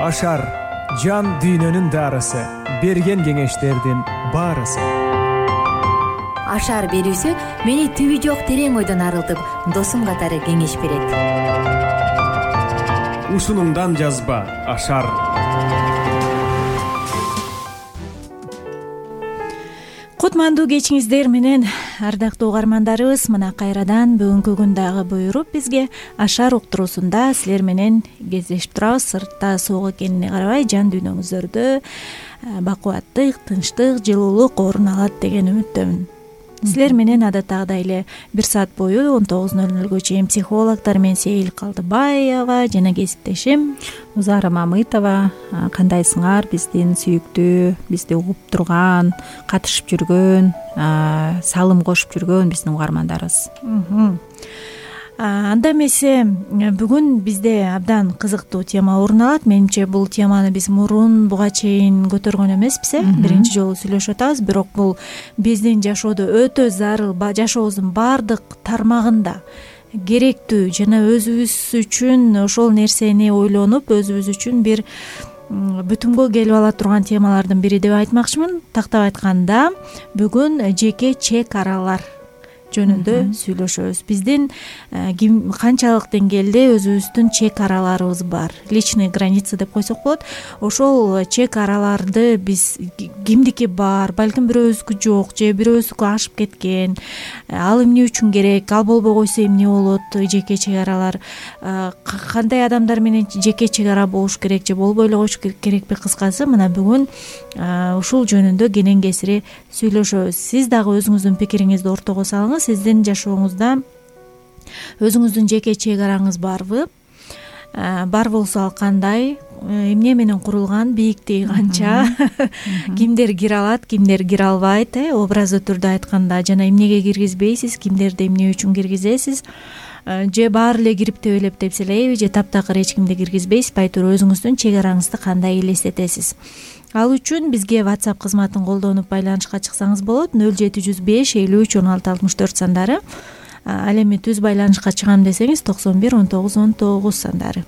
Ашар жан дүйнөнүн дарысы, берген кеңештердин баарысы. Ашар берүүсү мени түбү жок терең ойдон арылтып, досум катары кеңеш берет. Ушунумдан жазба Ашар. Кутмандуу кечиңиздер менен, ардактуу угармандарыбыз. Мына кайрадан бүгүнкү күн дагы буйруп бизге Ашар уктуруусунда силер менен кездешип турабыз. Сыртта суук экенине карабай, жан дүйнөңүздөрдө бакубаттык, тынчтык, жылуулук орун алат деген үмүттөмүн. Силер менен адаттагыдай эле 1 саат бою 19:00 чейин психологдор мен Сейил Калдыбаева жана кесиптешим Узара Мамытова. Кандайсыңар, биздин сүйүктүү, бизди угуп турган, катышып жүргөн, салым кошуп жүргөн биздин угармандарыбыз. Анда эмесе бүгүн бизде абдан кызыктуу тема орун алат. Менимче бул теманы биз мурун буга чейин көтөргөн эмеспиз. Биринчи жолу сүйлөшүп атабыз, бирок бул биздин жашоодо өтө зарыл, жашообуздун баардык тармагында керектүү жана өзүбүз үчүн ошол нерсени ойлонуп, өзүбүз үчүн бир бүтүнгө келип ала турган темалардын бири деп айтмакчымын. Тактап айтканда, бүгүн жеке чек аралар жөнүндө сүйлөшөбүз. Биздин канчалык деңгээлде өзүбүздүн чек араларыбыз бар, личный граница деп койсок болот. Ошол чек араларды биз кимдики бар, балким бирөөбүздүкү жок, же бирөөбүздүкү ашып кеткен, ал эмне үчүн керек, ал болбой койсо эмне болот, жеке чек аралар, кандай адамдар менен жеке чек ара болуш керек же болбой эле коюш керекпи? Кыскасы, мына бүгүн ушул жөнүндө кенен кесири сүйлөшөбүз. Сиз дагы өзүңүздүн пикириңизди ортого салыңыз. Сиздин жашооңузда өзүңүздүн жеке чек араңыз барбы? Бар болсо ал кандай? Эмне менен курулган? Бийиктиги канча? Кимдер кире алат, кимдер кире албайт? Образдуу түрдө айтканда, жана эмнеге киргизбейсиз, кимдерди эмне үчүн киргизесиз? Же баары эле кирип тебелеп тепселейби, же таптакыр эч кимди киргизбейсиз? Айтор өзүңүздүн чек араңызды кандай элестетесиз? Ал үчүн бизге WhatsApp кызматын колдонуп байланышка чыксаңыз болот. 0705 53 16 64 сандары. Ал эми түз байланышка чыгам десеңиз 91 19 19 сандары.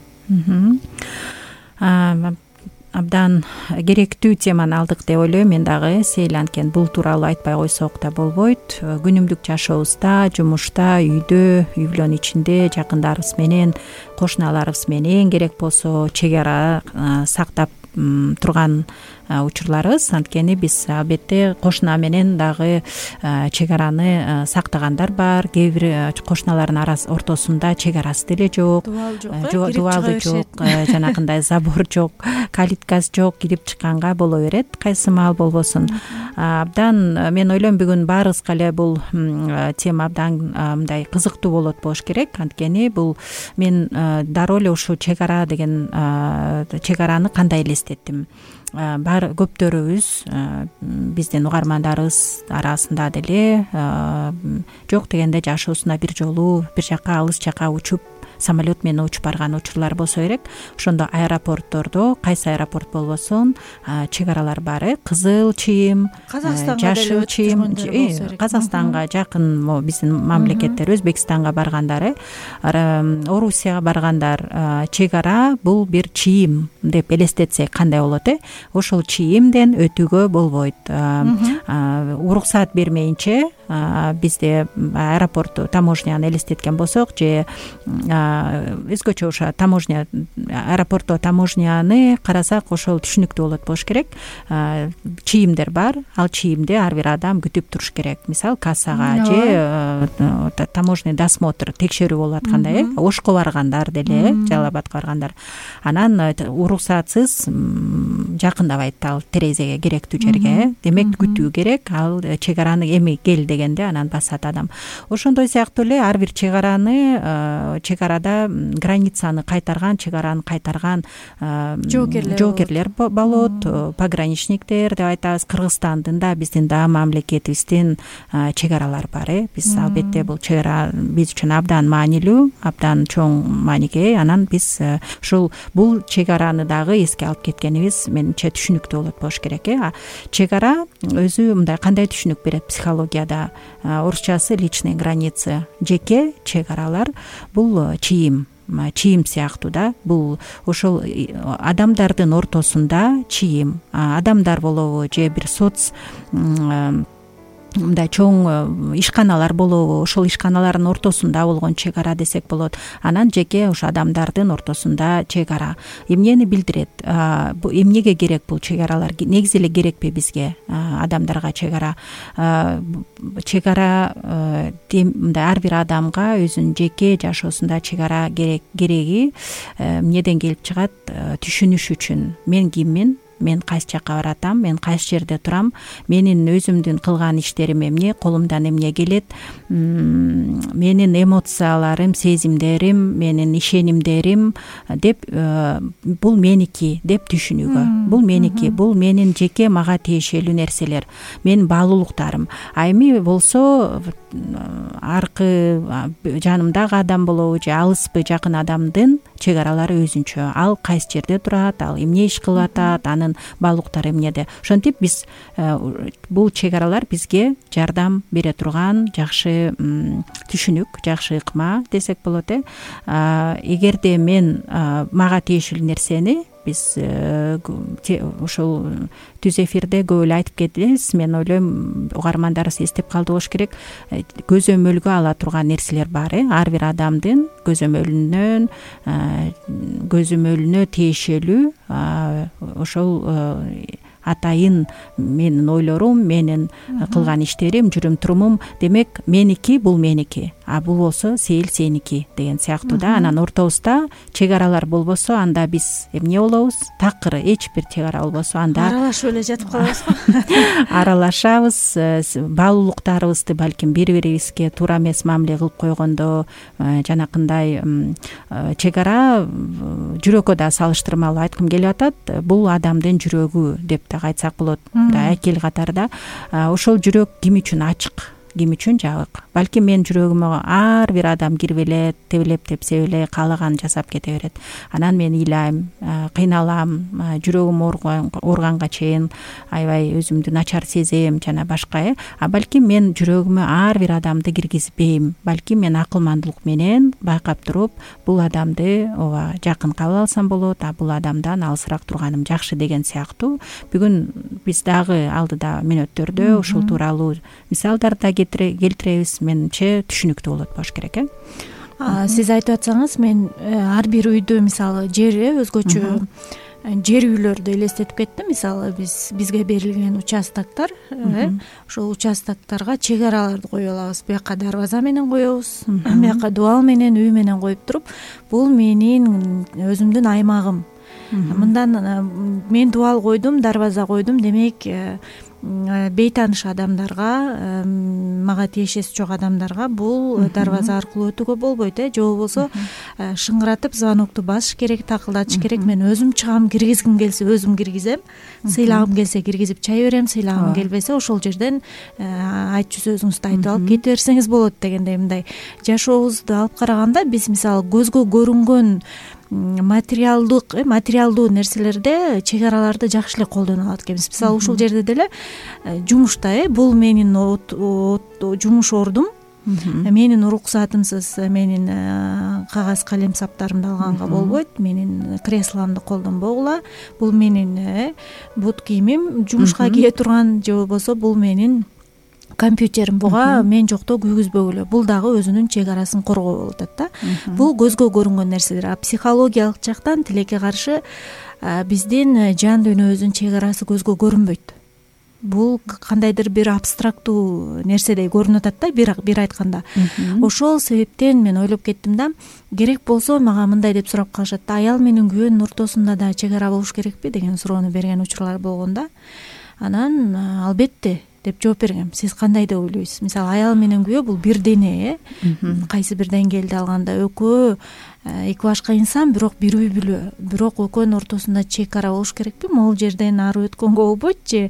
Абдан керектүү теманы алдык деп ойлойм мен дагы. Сейил, анткени бул тууралуу айтпай койсок да болбойт. Күнүмдүк жашообузда, жумушта, үйдө, үй-бүлөнүн ичинде, жакындарыбыз менен, кошуналарыбыз менен керек болсо чек ара сактап турган учурларыбыз. Анткени биз албетте кошуна менен дагы чек араны сактагандар бар. Кээ бир кошуналардын ортосунда чек арасы деле жок, дубалы жок, жанагындай забор жок, калиткасы жок, кирип чыкканга боло берет кайсы маал болбосун. Абдан мен ойлойм бүгүн баарыбызга эле бул тема абдан мындай кызыктуу болуш керек. Анткени бул мен дароо эле ушул чек ара деген чек араны кандай элестеттим. Бар көптөрүбүз, биздин угармандарыбыз арасында деле жок дегенде жашоосуна бир жолу бир жака, алыс жака учуп, самолет менен учуп барган учурлар болсо керек. Ошондо аэропорттордо, кайсы аэропорт болбосун, чек аралар бар. Кызыл чыйым, жашыл чыйым, Казакстанга жакын биздин мамлекеттер, Өзбекстанга баргандар, Орусияга баргандар, чек ара бул бир чыйым деп элестетсек кандай болот? Ошол чыйымден өтүүгө болбойт. Уруксаат бермейинче бизде аэропорт таможняны элестеткен болсок, же өзгөчө ошо таможня, аэропортто таможняны карасак, ошол түшүнүктүү болуш керек. Чыйымдер бар, ал чыйымды ар бир адам күтүп туруш керек. Мисалы кассага же таможенный досмотр, текшерүү болуп аткандай, Ошко баргандар деле, Жалал-Абадка баргандар. Анан уруксатсыз жакындабайт ал терезеге, керектүү жерге. Демек күтүү керек. Ал чек араны эми кел дегенде анан басат адам. Ошондой сыяктуу эле ар бир чек арада границаны кайтарган, чек араны кайтарган жоокерлер болот, пограничниктер деп айтабыз. Кыргызстандын да, биздин да мамлекетибиздин чек аралары бар. Биз албетте бул чек ара биз үчүн абдан маанилүү, абдан чоң мааниге. Анан биз ушул бул чек араны дагы эске алып кеткенибиз менимче түшүнүктүү болуш керек. Чек ара өзү мындай кандай түшүнүк берет психологияда? Орусчасы личные границы, жеке чек аралар. Бул чыйым, чийим сыяктуу да. Бул ошол адамдардын ортосунда чийим, адамдар болобу же бир мындай чоң ишканалар болобу, ошол ишканалардын ортосунда болгон чек ара десек болот. Анан жеке ошо адамдардын ортосунда чек ара эмнени билдирет? Эмнеге керек бул чек аралар? Негизи эле керекпи бизге адамдарга чек ара? Чек ара мындай ар бир адамга өзүнүн жеке жашоосунда чек ара кереги эмнеден келип чыгат? Түшүнүш үчүн. Мен киммин? Мен кайсы жакка баратам, мен кайсы жерде турам, менин өзүмдүн кылган иштерим эмне, колумдан эмне келет, менин эмоцияларым, сезимдерим, менин ишенимдерим деп бул меники деп түшүнүүгө. Бул меники, бул менин жеке мага тиешелүү нерселер, менин баалуулуктарым. А эми болсо аркы жанымдагы адам болобу же алыспы жакын адамдын чек аралары өзүнчө. Ал кайсы жерде турат, ал эмне иш кылып атат, анын баалуулуктары эмнеде. Ошентип биз бул чек аралар бизге жардам бере турган жакшы түшүнүк, жакшы ыкма десек болот. Эгерде мен мага тиешелүү нерсени биз ошол түз эфирде көп эле айтып кетебиз. Мен ойлойм угармандарыбыз эстеп калды болуш керек. Көзөмөлгө ала турган нерселер бар. Ар бир адамдын көзөмөлүнө тиешелүү ошол атайын менин ойлорум, менин кылган иштерим, жүрүм турумум. Демек меники бул меники, а бул болсо сеники деген сыяктуу да. Анан ортобузда чек аралар болбосо анда биз эмне болобуз? Такыр эч бир чек ара болбосо анда аралашып эле жатып калабыз го. Аралашабыз, баалуулуктарыбызды балким бири бирибизге туура эмес мамиле кылып койгондо, жанакындай чек ара жүрөккө да салыштырмалуу айткым келип атат. Бул адамдын жүрөгү деп дагы айтсак болот. Экил катарда ошол жүрөк ким үчүн ачык, ким үчүн жабык? Балким менин жүрөгүмө ар бир адам кирип эле, тебелеп тепсеп эле каалаганын жасап кете берет. Анан мен ыйлайм, кыйналам, жүрөгүм ооруганга чейин аябай өзүмдү начар сезем жана башка. А балким мен жүрөгүмө ар бир адамды киргизбейм. Балким мен акылмандуулук менен байкап туруп, бул адамды ооба жакын кабыл алсам болот, а бул адамдан алысыраак турганым жакшы деген сыяктуу. Бүгүн биз дагы алдыда мүнөттөрдө ушул тууралуу мисалдарды да келтиребиз. Менимче түшүнүктүү болот болуш керек. Сиз айтып атсаңыз, мен ар бир үйдө мисалы жер өзгөчө жер үйлөрдү элестетип кеттим. Мисалы бизге берилген участоктор, ошол участоктарга чек араларды коюп алабыз. Буяка дарбаза менен коебуз, буяка дубал менен, үй менен коюп туруп, бул менин өзүмдүн аймагым. Мындан мен дубал койдум, дарбаза койдум, демек бейтааныш адамдарга, мага тиешеси жок адамдарга бул дарбаза аркылуу өтүүгө болбойт, же болбосо шыңгыратып звонокту басыш керек, такылдатыш керек. Мен өзүм чыгам, киргизгим келсе өзүм киргизем, сыйлагым келсе киргизип чай берем, сыйлагым келбесе ошол жерден айтчу сөзүңүздү айтып алып кете берсеңиз болот дегендей. Мындай жашообузду алып караганда биз мисалы көзгө көрүнгөн материалдуу нерселерде чек араларды жакшы эле колдоно алат экенбиз. Мисалы ушул жерде деле жумушта бул менин жумуш ордум, менин уруксатымсыз менин кагаз калем саптарымды алганга болбойт, менин кресломду колдонбогула, бул менин бут кийимим, жумушка кие турган, же болбосо бул менин компьютерим, буга мен жокто күйгүзбөгүлө. Бул дагы өзүнүн чек арасын коргоо болуп атат да. Бул көзгө көрүнгөн нерселер. А психологиялык жактан тилекке каршы биздин жан дүйнөбүздүн чек арасы көзгө көрүнбөйт. Бул кандайдыр бир абстрактуу нерседей көрүнүп атат да, бир айтканда. Ошол себептен мен ойлоп кеттим да, керек болсо мага мындай деп сурап калышат да, аял менен күйөөнүн ортосунда да чек ара болуш керекпи деген суроону берген учурлар болгон да. Анан албетте деп жооп бергем. Сиз кандай деп ойлойсуз? Мисалы аял менен күйөө бул бир дене, кайсы бир деңгээлде алганда экөө эки башка инсан, бирок бир үй бүлө. Бирок экөөнүн ортосунда чек ара болуш керекпи? Могул жерден ары өткөнгө болбойт же?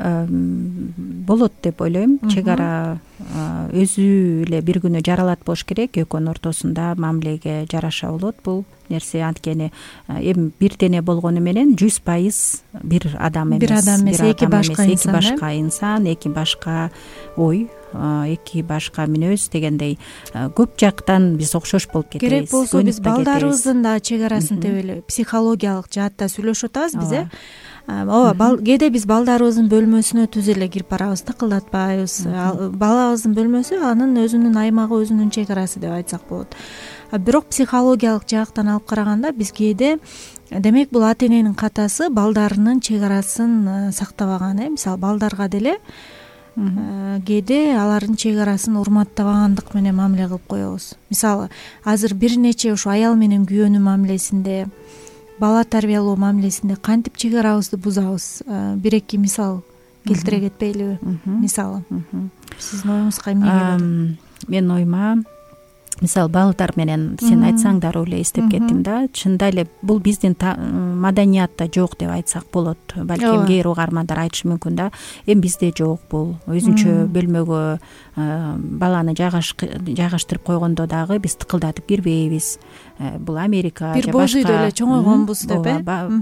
болот деп ойлойм. Чек ара өзү эле бир күнү жаралат болуш керек, экөөнүн ортосунда мамилеге жараша болот бул нерсе. Анткени эми бир дене болгону менен 100% бир адам эмес, бир адам эмес, эки башка инсан, эки башка ой, эки башка мүнөз дегендей көп жактан биз окшош болуп кетебиз. Керек болсо биз балдарыбыздын да чек арасын деп эле психологиялык жаатта сүйлөшүп атабыз биз. Ооба, кээде биз балдарыбыздын бөлмөсүнө түз эле кирип барабыз, тыкылдатпайбыз. Балабыздын бөлмөсү анын өзүнүн аймагы, өзүнүн чек арасы деп айтсак болот. Бирок психологиялык жактан алып караганда биз кээде, демек бул ата эненин катасы балдарынын чек арасын сактабаган. Мисалы балдарга деле кээде алардын чек арасын урматтабагандык менен мамиле кылып коебуз. Мисалы азыр бир нече ушу аял менен күйөөнүн мамилесинде, бала тарбиялоо мамилесинде кантип чек арабызды бузабыз? Бир-эки мисал келтире кетпейлиби? Мисалы сиздин оюңузга эмне келет? Менин оюма мисалы балдар менен сен айтсаң дароо эле эстеп кеттим да. Чынында эле бул биздин маданиятта жок деп айтсак болот. Балким кээ угармандар айтышы мүмкүн да. Эми бизде жок бул. Өзүнчө бөлмөгө баланы жайгаштырып койгондо дагы биз тыкылдатып кирбейбиз. Бул Америка же башка. Бир боз үйдө эле чоңойгонбуз деп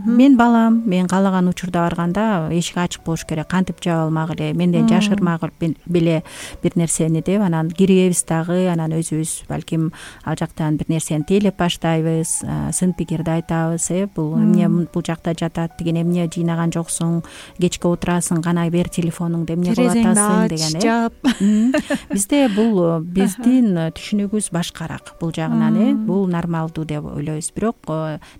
мен балам, мен каалаган учурда барганда эшик ачык болуш керек, кантип жаап алмак эле, менден жашырмак беле бир нерсени деп анан киребиз дагы, анан өзүбүз балким ал жактан бир нерсени тейлеп баштайбыз, сын пикирди айтабыз. Бул эмне бул жакта жатат деген, эмне жыйнаган жоксуң, кечке отурасың, кана бер телефонуңду, эмне кылып атасың деген. Бизде бул биздин түшүнүгүбүз башкараак бул жагынан. Бул нормалдуу деп ойлойбуз. Бирок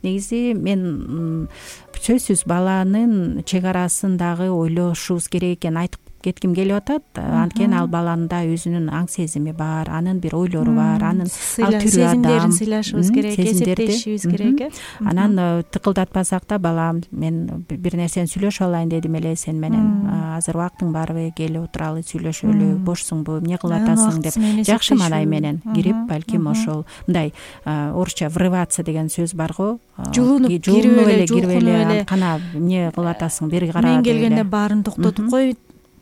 негизи мен сөзсүз баланын чек арасын дагы ойлошубуз керек экенин айтып кетким келип атат. Анткени ал баланын да өзүнүн аң сезими бар, анын бир ойлору бар, анын ал түрү адам, сезимдерин сыйлашыбыз керек, эсептешибиз керек. Анан тыкылдатпасак да, балам, мен бир нерсени сүйлөшүп алайын дедим эле сен менен, азыр убактың барбы, кел отуралы сүйлөшөлү, бошсуңбу, эмне кылып атасың деп жакшы маанай менен кирип, балким ошол мындай орусча врываться деген сөз бар го. Жулунуп кирип эле, кана эмне кылып атасың, бери кара. Мен келгенде баарын токтотуп кой,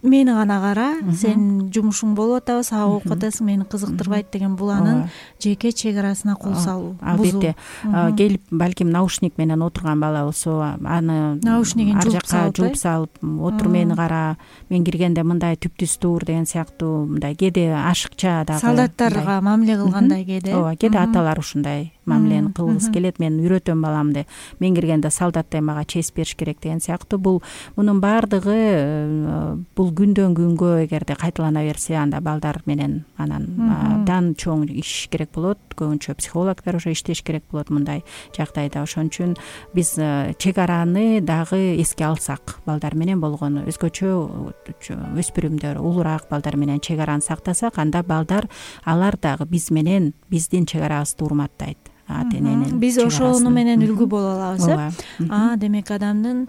мени гана кара, сен жумушуң болуп атабы, сага окуп атасың, мени кызыктырбайт деген, бул анын жеке чек арасына кол салуу. Албетте келип балким наушник менен отурган бала болсо, аны наушнигин жууп салып, отур, мени кара, мен киргенде мындай түптүз тур деген сыяктуу, мындай кээде ашыкча дагы солдаттарга мамиле кылгандай кээде. Ооба, кээде аталар ушундай мамилени кылгысы келет. Мен үйрөтөм баламды, мен киргенде солдаттай мага честь бериш керек деген сыяктуу. Мунун баардыгы бул күндөн күнгө эгерде кайталана берсе, анда балдар менен анан абдан чоң иш керек болот. Көбүнчө психологдор уже иштеш керек болот мындай жагдайда. Ошон үчүн биз чек араны дагы эске алсак, балдар менен болгону, өзгөчө өспүрүмдөр, улураак балдар менен чек араны сактасак, анда балдар алар дагы биз менен биздин чек арабызды урматтайт. Биз ошону менен үлгү боло алабыз. Демек адамдын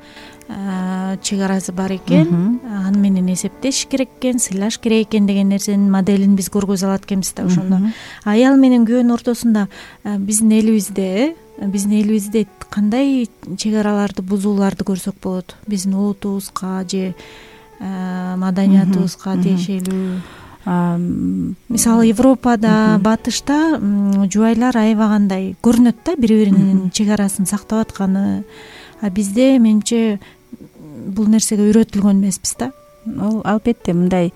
чек арасы бар экен, аны менен эсептеш керек экен, сыйлаш керек экен деген нерсенин моделин биз көргөзө алат экенбиз да. Ошондо аял менен күйөөнүн ортосунда биздин элибизде кандай чек араларды бузууларды көрсөк болот? Биздин улутубузга же маданиятыбызга тиешелүү? Мисалы Европада, батышта жубайлар аябагандай көрүнөт да, бири-биринин чек арасын сактап атканы. Бизде менимче бул нерсеге үйрөтүлгөн эмеспиз да. Албетте мындай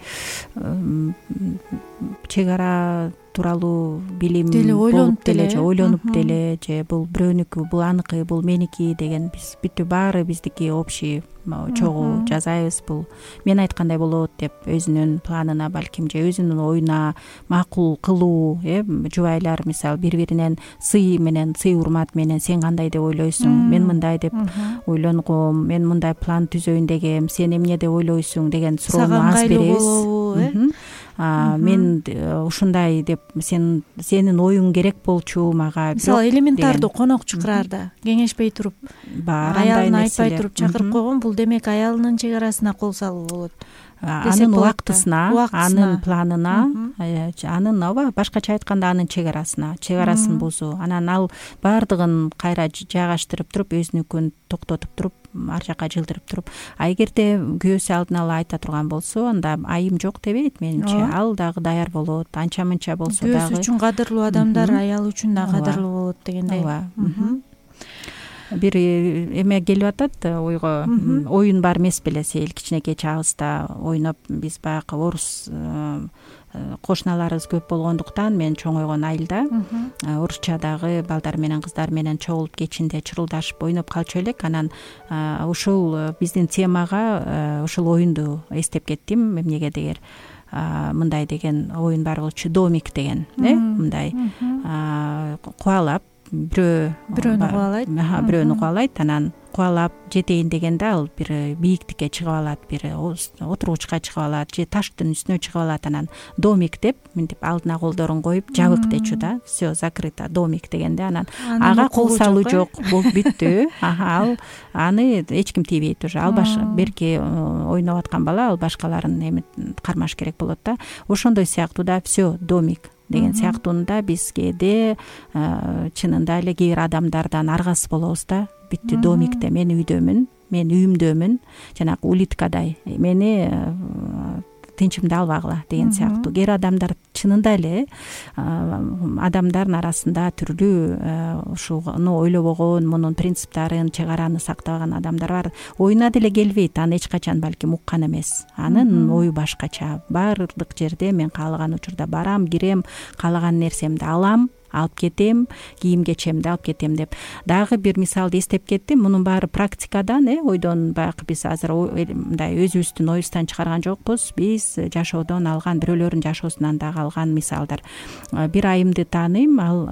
чек ара тууралуу билим болуп деле же ойлонуп деле, же бул бирөөнүкү, бул аныкы, бул меники деген биз бүттү баары биздики общий чогуу жасайбыз. Бул мен айткандай болот деп өзүнүн планына, балким же өзүнүн оюна макул кылуу. Жубайлар мисалы бири-биринен сый менен, сый урмат менен, сен кандай деп ойлойсуң, мен мындай деп ойлонгом, мен мындай план түзөйүн дегем, сен эмне деп ойлойсуң деген суроону аз беребиз. Мен ушундай деп, сенин оюң керек болчу мага. Мисалы элементардуу конок чакыраарда кеңешпей туруп, аялын айтпай туруп чакырып койгон, бул демек аялынын чек арасына кол салуу болот. анын убактысына, анын планына, анын ооба башкача айтканда анын чегарасын бузуу. Анан ал баардыгын кайра жайгаштырып туруп, өзүнүкүн токтотуп туруп, ар жака жылдырып туруп, эгерде күйөөсү алдын ала айта турган болсо, анда айым жок дебейт менимче. Ал дагы даяр болот, анча мынча болсо дагы. Күйөөсү үчүн кадырлуу адамдар аял үчүн да кадырлуу болот дегендей. Ооба. Бир эме келип атат ойго, оюн бар эмес беле, Сейил кичинекей чагыбызда ойноп, биз баягы орус кошуналарыбыз көп болгондуктан мен чоңойгон айылда орусчадагы балдар менен кыздар менен чогулуп кечинде чырылдашып ойноп калчу элек. Анан ушул биздин темага ушул оюнду эстеп кеттим. Эмнеге дегер мындай деген оюн бар болчу, домик деген, мындай кубалап, бирөөнү кубалайт, анан кубалап жетейин дегенде ал бир бийиктикке чыгып алат, бир отургучка чыгып алат, же таштын үстүнө чыгып алат. Анан домик деп мынтип алдына колдорун коюп жабык дечү да, все закрыто, домик дегенде анан ага кол салуу жок, болуп бүттү. Ал аны эч ким тийбейт уже. Ал берки ойноп аткан бала ал башкаларын эми кармаш керек болот да. Ошондой сыяктуу да, все домик деген сыяктуунда биз кээде чынында эле кээ бир адамдардан аргасыз болобуз да. Бүттү домикте, мен үйдөмүн, мен үйүмдөмүн, жанагы улиткадай, мени тынчымды албагыла деген сыяктуу. Кээ бир адамдар чынында эле адамдардын арасында түрлүү ушуну ойлобогон, мунун принциптарын, чегараны сактабаган адамдар бар. Оюна деле келбейт, аны эч качан балким уккан эмес. Анын ою башкача. Баардык жерде мен каалаган учурда барам, кирем, каалаган нерсемди алам, алып кетем, кийим кечемди алып кетем деп. Дагы бир мисалды эстеп кеттим. Мунун баары практикадан, ойдон баягы биз азыр мындай өзүбүздүн оюбуздан чыгарган жокпуз. Биз жашоодон алган, бирөөлөрдүн жашоосунан дагы алган мисалдар. Бир айымды тааныйм, ал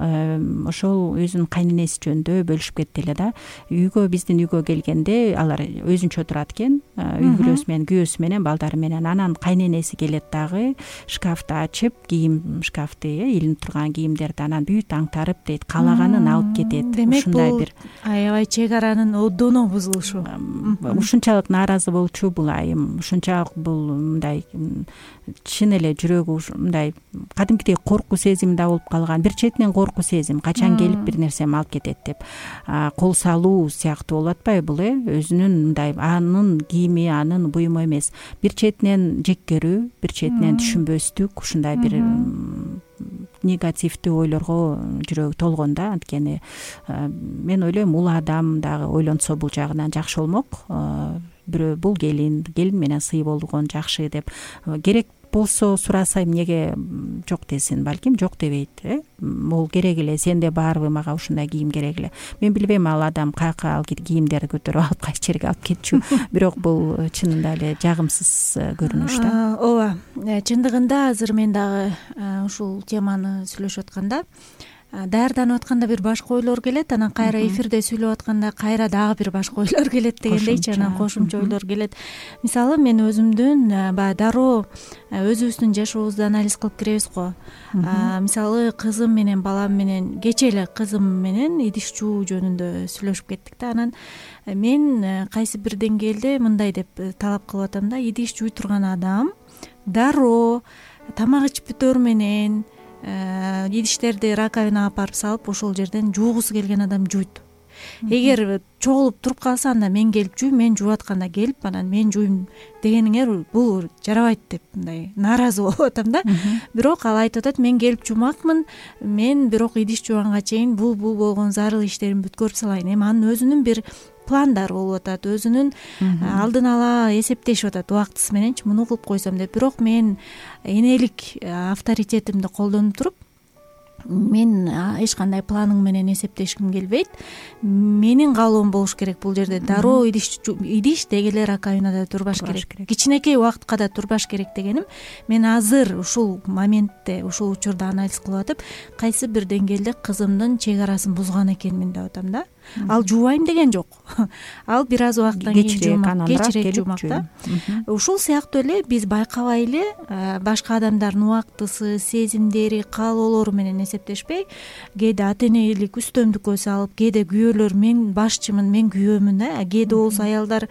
ошол өзүнүн кайненеси жөнүндө бөлүшүп кетти эле да. Биздин үйгө келгенде алар өзүнчө турат экен, үй бүлөсү менен, күйөөсү менен, балдары менен. Анан кайненеси келет дагы, шкафты ачып, кийим шкафты, илинип турган кийимдерди анан бүт аңтарып дейт, каалаганын алып кетет. Ушундай бир аябай чегаранын одоно бузулушу. Ушунчалык нааразы болчу бул айым. Ушунчалык бул мындай чын эле жүрөгү мындай кадимкидей коркуу сезим да болуп калган. Бир четинен коркуу сезим, качан келип бир нерсеми алып кетет деп кол салуу сыяктуу болуп атпайбы бул? Өзүнүн мындай анын кийими, анын буюму эмес. Бир четинен жеккерүү, бир четинен түшүнбөстүк, ушундай бир негативдүү ойлорго жүрөгү толгон да. Анткени мен ойлойм, улуу адам дагы ойлонсо бул жагынан жакшы болмок. Бирөө бул келин менен сый болгон жакшы деп керек болсо сураса эмнеге жок десин, балким жок дебейт. Могул керек эле, сенде барбы, мага ушундай кийим керек эле. Мен билбейм ал адам каяка ал кийимдерди көтөрүп алып кайсы жерге алып кетчү. Бирок бул чынында эле жагымсыз көрүнүш да. Ооба, чындыгында азыр мен дагы ушул теманы сүйлөшүп атканда даярданып атканда бир башка ойлор келет, анан кайра эфирде сүйлөп атканда кайра дагы бир башка ойлор келет дегендейчи, анан кошумча ойлор келет. Мисалы мен өзүмдүн баягы дароо өзүбүздүн жашообузду анализ кылып киребиз го. Мисалы кызым менен балам менен, кечээ эле кызым менен идиш жуу жөнүндө сүйлөшүп кеттик да. Анан мен кайсы бир деңгээлде мындай деп талап кылып атам да: идиш жуй турган адам дароо тамак ичпөтөр менен идиштерди раковинага апарып салып ошол жерден жуугусу келген адам жуйт. Эгер чогулуп туруп калса, анда мен келип жуйм, мен жууп атканда келип анан мен жуйм дегениңер бул жарабайт деп мындай нааразы болуп атам да. Бирок ал айтып атат: мен келип жуумакмын, мен бирок идиш жууганга чейин бул болгон зарыл иштеримди бүткөрүп салайын. Эми анын өзүнүн бир пландары болуп атат, өзүнүн алдын ала эсептешип атат убактысы мененчи, муну кылып койсом деп. Бирок мен энелик авторитетимди колдонуп туруп, мен эч кандай планың менен эсептешким келбейт. Менин каалоом болуш керек бул жерде. Дароо идиш деги эле раковинада турбаш керек. Кичинекей убакытка да турбаш керек дегеним, мен азыр ушул моментте, ушул учурда анализ кылып атып, кайсы бир деңгээлде кызымдын чегарасын бузган экенмин деп атам да. Ал жуубайм деген жок. Ал бир аз убакыттан кийин кечирээк жуумак да. Ушул сыяктуу эле биз байкабай эле башка адамдардын убактысы, сезимдери, каалоолору менен эсептешпей, кээде ата энелик үстөмдүккө салып, кээде күйөөлөр мен башчымын, мен күйөөмүн, кээде болсо аялдар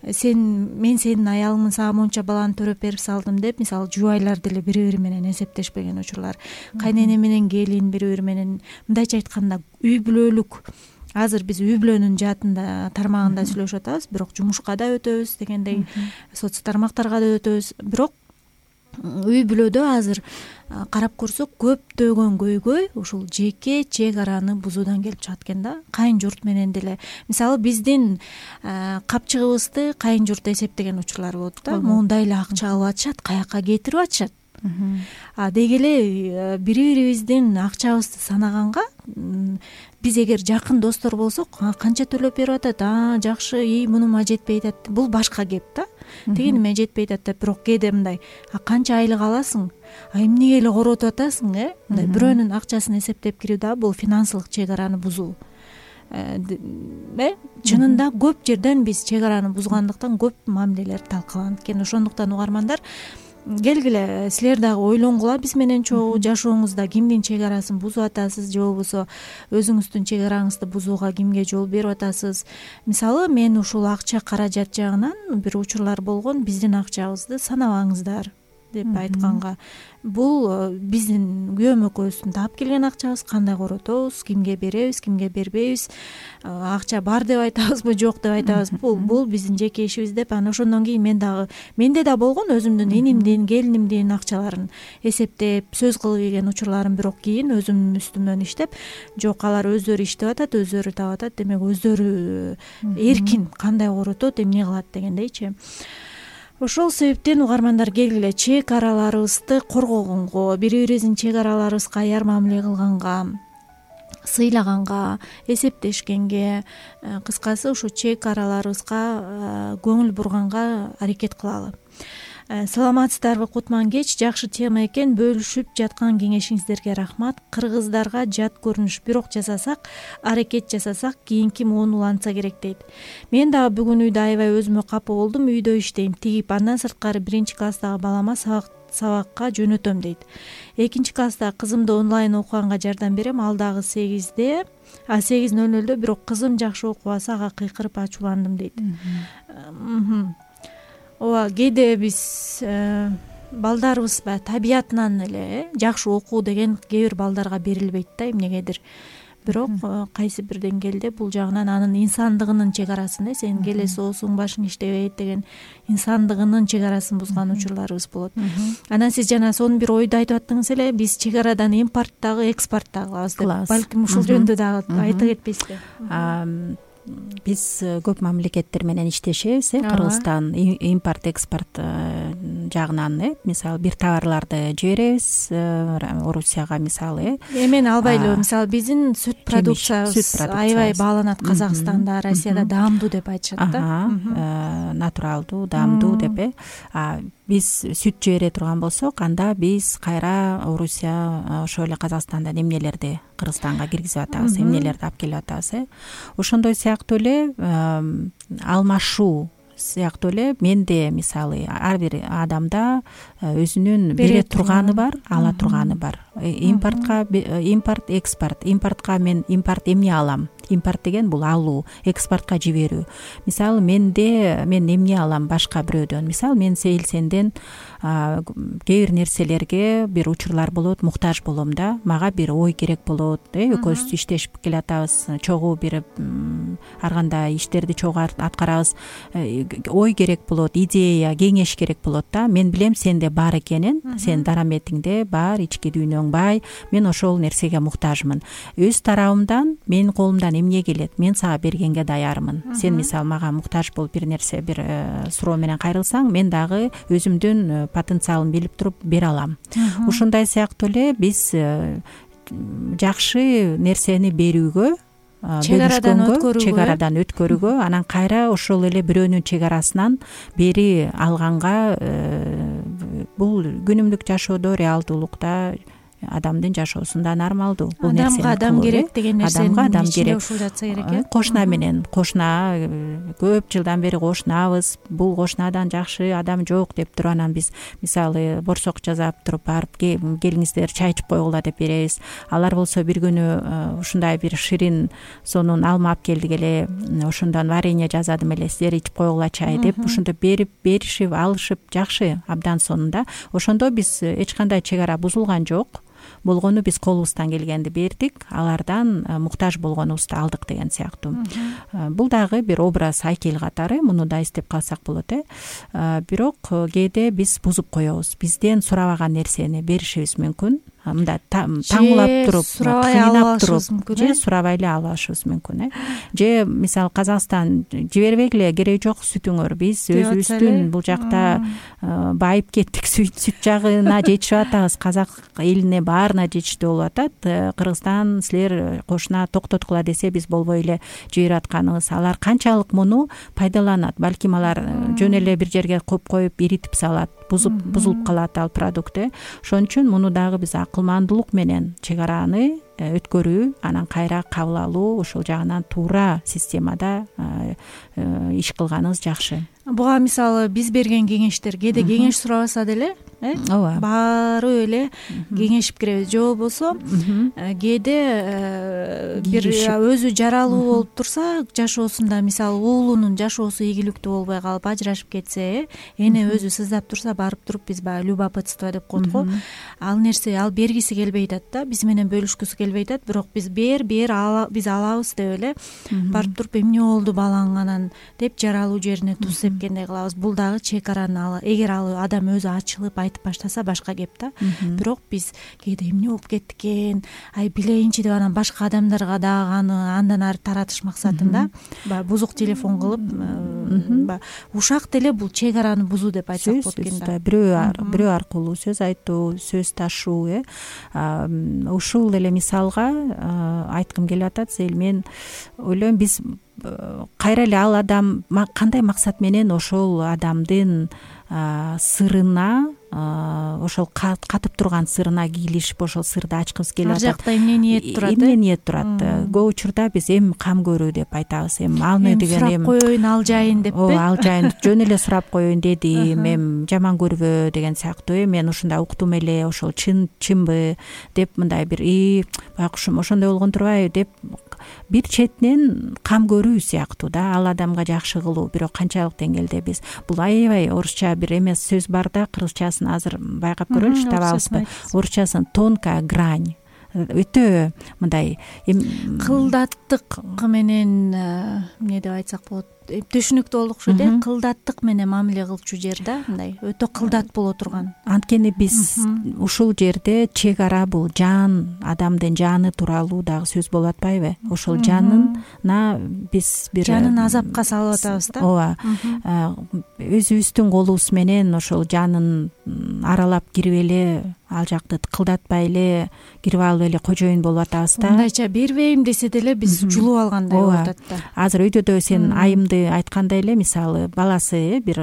мен сенин аялыңмын, сага монча баланы төрөп берип салдым деп, мисалы жубайлар деле бири бири менен эсептешпеген учурлар, кайнене менен келин бири бири менен, мындайча айтканда үй бүлөлүк. Азыр биз үй бүлөнүн жаатында тармагында сүйлөшүп атабыз, бирок жумушка да өтөбүз дегендей, соц тармактарга да өтөбүз. Бирок үй бүлөдө азыр карап көрсөк көптөгөн көйгөй ушул жеке чек араны бузуудан келип чыгат экен да. Кайын журт менен деле, мисалы биздин капчыгыбызды кайын журт эсептеген учурлар болот да. Моундай эле акча алып атышат, каяка кетирип атышат. Деги эле бири бирибиздин акчабызды санаганга, биз эгер жакын достор болсок, канча төлөп берип атат, жакшы, мунума жетпей атат, бул башка кеп да. Тигиниме жетпей атат, бирок кээде мындай, канча айлык аласың, эмнеге эле коротуп атасың, мындай бирөөнүн акчасын эсептеп кирип дагы бул финансылык чек араны бузуу. Чынында көп жерден биз чек араны бузгандыктан көп мамилелер талкаланат экен. Ошондуктан угармандар, келгиле силер дагы ойлонгула биз менен чогуу, жашооңузда кимдин чек арасын бузуп атасыз, же болбосо өзүңүздүн чек араңызды бузууга кимге жол берип атасыз. Мисалы мен ушул акча каражат жагынан бир учурлар болгон, биздин акчабызды санабаңыздар деп айтканга, бул биздин күйөөм экөөбүздүн таап келген акчабыз, кандай коротобуз, кимге беребиз, кимге бербейбиз, акча бар деп айтабызбы, жок деп айтабыз, бул биздин жеке ишибиз деп. Анан ошондон кийин менде да болгон өзүмдүн инимдин, келинимдин акчаларын эсептеп, сөз кылып ийген учурларым, бирок кийин өзүм үстүмөн иштеп, жок, алар өздөрү иштеп атат, өздөрү таап атат, демек өздөрү эркин кандай коротот, эмне кылат дегендейчи. Ошол себептен угармандар, келгиле чек араларыбызды коргогонго, бири бирибиздин чек араларыбызга аяр мамиле кылганга, сыйлаганга, эсептешкенге, кыскасы ушу чек араларыбызга көңүл бурганга аракет кылалы. Саламатсыздарбы Кутман кеч, жакшы тема экен, бөлүшүп жаткан кеңешиңиздерге рахмат. Кыргыздарга жат көрүнүш, бирок жасасак, аракет жасасак, кийинки муун уланса керек дейт. Мен дагы бүгүн үйдө аябай өзүмө капа болдум, үйдө иштейм, тигип, андан сырткары 1-класстагы балама сабакка жөнөтөм дейт. 2-класстагы кызымды онлайн окуганга жардам берем, ал дагы 8:00, бирок кызым жакшы окубаса, ага кыйкырып ачууландым дейт. Ооба, кээде биз балдарыбыз табиятынан эле жакшы окуу деген кээ бир балдарга берилбейт да, эмнегедир. Бирок кайсы бир деңгээлде бул жагынан анын инсандыгынын чек арасын, сен келе соосуң, башың иштебейт деген инсандыгынын чек арасын бузган учурларыбыз болот. Анан сиз жана сонун бир ойду айтып аттыңыз эле, биз чек арадан импорт дагы, экспорт дагы кылабыз деп. Балким ушул жөнүндө дагы айта кетпейсизби? Биз көп мамлекеттер менен иштешебиз, Кыргызстан импорт экспорт жагынан, мисалы бир товарларды жиберебиз Орусияга, мисалы эмен албайлы, мисалы биздин сүт продукциябыз аябай бааланат Казакстанда, Россияда даамдуу деп айтышат да. Натуралдуу, даамдуу деп. Биз сүт жибере турган болсок, анда биз кайра Орусия ошол эле Казакстандан эмнелерди Кыргызстанга киргизип атабыз, эмнелерди алып келип атабыз. Ошондой сыяктуу эле алмашуу сыяктуу эле менде, мисалы, ар бир адамда өзүнүн бере турганы бар, ала турганы бар. Импорт, экспорт. Импортко мен эмне алам? Импорт деген бул алуу, экспортко жиберүү. Мисалы, мен эмне алам башка бирөөдөн? Мисалы, мен сенден кээ бир нерселерге бир учурлар болот, муктаж болом да. Мага бир ой керек болот, экөөбүз иштешип келатабыз, чогуу бир ар кандай иштерди чогуу аткарабыз. Ой керек болот, идея, кеңеш керек болот да. Мен билем сенде бар экенин, сен дараметиңде бар, ички дүйнөң бай, мен ошол нерсеге муктажмын. Өз тарабымдан менин колумдан эмне келет, мен сага бергенге даярмын. Сен мисалы мага муктаж болуп бир нерсе, бир суроо менен кайрылсаң, мен дагы өзүмдүн потенциалымды билип туруп бере алам. Ушундай сыяктуу эле биз жакшы нерсени берүүгө, чек арадан өткөрүүгө, анан кайра ошол эле бирөөнүн чек арасынан бери алганга, бул күнүмдүк жашоодо, реалдуулукта адамдын жашоосунда нормалдуу. Бул адамга адам керек деген нерсени адам керек. ушул жатса керек. Кошуна менен кошуна көп жылдан бери кошунабыз, бул кошунадан жакшы адам жок деп туруп анан биз мисалы борсок жасап туруп барып келиңиздер чай ичип койгула деп беребиз. Алар болсо бир күнү ушундай бир ширин сонун алма алып келдик эле, ошондон варенье жасадым эле, силер ичип койгула чай деп ушинтип беришип алышып жакшы абдан сонун. Ошондо биз эч кандай чек ара бузулган жок. Болгону биз колубуздан келгенди бердик, алардан муктаж болгонубузду алдык деген сыяктуу. Бул дагы бир образ айкел катары, муну да эстеп калсак болот. Бирок кээде биз бузуп коебуз. Бизден сурабаган нерсени беришибиз мүмкүн. Мындай таңуулап туруп, кыйнап туруп, же сурабай эле алышыбыз мүмкүн. Же мисалы Казакстан жибербегиле, кереги жок сүтүңөр, биз өзүбүздүн бул жакта байып кеттик, сүт жагына жетишип атабыз, казак элине баарына жетиштүү болуп атат. Кыргызстан силер кошуна токтоткула десе биз болбой эле жиберип атканыбыз. Алар канчалык муну пайдаланат? Балким алар жөн эле бир жерге коюп коюп иритип салат, бузулуп калат ал продукт. Ошон үчүн муну дагы биз акылмандуулук менен чек араны өткөрүү, анан кайра кабыл алуу, ошол жагынан туура системада иш кылганыбыз жакшы. Буга мисалы биз берген кеңештер кээде кеңеш сурабаса деле, ооба, баары эле кеңешип киребиз. Же болбосо кээде бир өзү жаралуу болуп турса, жашоосунда мисалы уулунун жашоосу ийгиликтүү болбой калып ажырашып кетсе, эне өзү сыздап турса, барып туруп биз баягы любопытство деп коет го. Ал нерсе ал бергиси келбей атат да, биз менен бөлүшкүсү келбей атат, бирок биз биз алабыз деп эле барып туруп эмне болду балаң анан деп жаралуу жерине туз сепкендей кылабыз. Бул дагы чек араны эгер ал адам өзү ачылып айтып баштаса башка кеп да. Бирок биз кээде эмне болуп кетти экен, билейинчи деп анан башка адамдарга дагы аны андан ары таратыш максатында баягы бузук телефон кылып, ушак деле бул чек араны бузуу деп айтсак болот экен да. Бирөө аркылуу сөз айтуу, сөз ташуу, ушул эле мисалга айткым келип атат. Мен ойлойм, биз кайра эле ал адам кандай максат менен ошол адамдын сырына, ошол катып турган сырына кийлишип ошол сырды ачкыбыз келип атат. Ар жакта эмне ниет турат? Эмне ниет турат? Көп учурда биз кам көрүү деп айтабыз. Алны деген сурап коеюн, ал жайын деппи? Ооба, ал жайын жөн эле сурап коеюн дедим, жаман көрбө деген сыяктуу. Мен ушундай уктум эле, ошол чынбы деп мындай бир байкушум ошондой болгон турбайбы деп бир четинен кам көрүү сыяктуу да, ал адамга жакшы кылуу. Бирок канчалык деңгээлде биз бул аябай орусча бир эмес сөз бар да, кыргызчасын азыр байкап көрөлүчү, табабызбы? Орусчасын тонкая грань. Өтө мындай кылдаттык менен эмне деп айтсак болот, түшүнүктүү болуп окшойт, кылдаттык менен мамиле кылчу жер да, мындай өтө кылдат боло турган. Анткени биз ушул жерде чек ара бул жан, адамдын жаны тууралуу дагы сөз болуп атпайбы? Ошол жанына биз бир жанын азапка салып атабыз да. Ооба, өзүбүздүн колубуз менен ошол жанын аралап кирип эле, ал жакты кылдатпай эле кирип алып эле кожоюн болуп атабыз да. Мындайча бербейм десе деле биз жулуп алгандай болуп атат да. Азыр өйдөдө сен айымды айткандай эле, мисалы баласы бир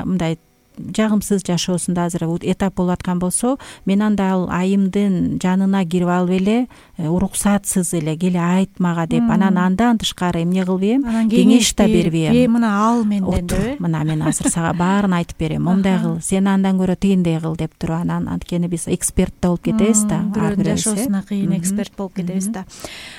мындай жагымсыз жашоосунда азыр этап болуп аткан болсо, мен анда ал айымдын жанына кирип алып эле уруксатсыз эле келе айт мага деп, анан андан тышкары эмне кылбайм, кеңеш да бербейм. Мына ал менден деп, мына мен азыр сага баарын айтып берем, момундай кыл, сен андан көрө тигиндей кыл деп туруп, анан анткени биз эксперт да болуп кетебиз да, бирөөнүн жашоосуна кыйын эксперт болуп кетебиз да.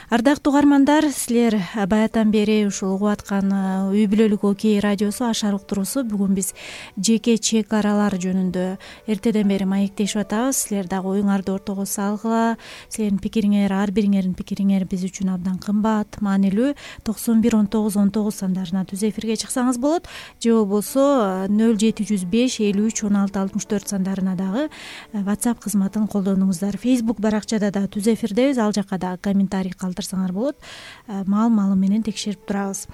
Ардактуу угармандар, силер баятан бери ушул угуп аткан Үй бүлөлүк окей радиосу Ашар уктуруусу. Бүгүн биз жеке чек аралар жөнүндө эртеден бери маектешип атабыз. Силер дагы оюңарды ортого салгыла. Силердин пикириңер, ар бириңердин пикириңер биз үчүн абдан кымбат, маанилүү. 91 19 19 сандарына түз эфирге чыксаңыз болот. Же болбосо 0705 53 16 64 сандарына дагы WhatsApp кызматын колдонуңуздар. Facebook баракчада да түз эфирдебиз, ал жакка дагы комментарий калтырсаңар болот. Маал менен текшерип турабыз.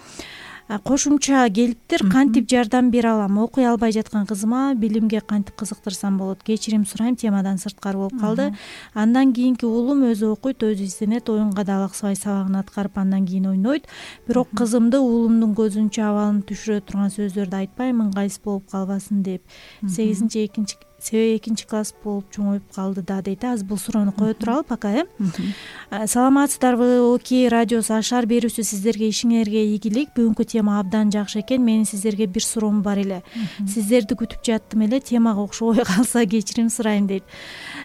Кошумча келиптир. Кантип жардам бере алам? Окуй албай жаткан кызыма билимге кантип кызыктырсам болот? Кечирим сурайм, темадан сырткары болуп калды. Андан кийинки уулум өзү окуйт, өзү изденет, оюнга да алаксыбай сабагын аткарып андан кийин ойнойт. Бирок кызымды уулумдун көзүнчө абалын түшүрө турган сөздөрдү айтпаймын, ыңгайсыз болуп калбасын деп. себеби 2 класс болуп чоңоюп калды да дейт. Азыр бул суроону кое туралы пока. Саламатсыздарбы? Оки радиосу Ашар берүүсү сиздерге ишиңерге ийгилик. Бүгүнкү тема абдан жакшы экен. Менин сиздерге бир суроом бар эле. Сиздерди күтүп жаттым эле, темага окшобой калса кечирим сурайм дейт.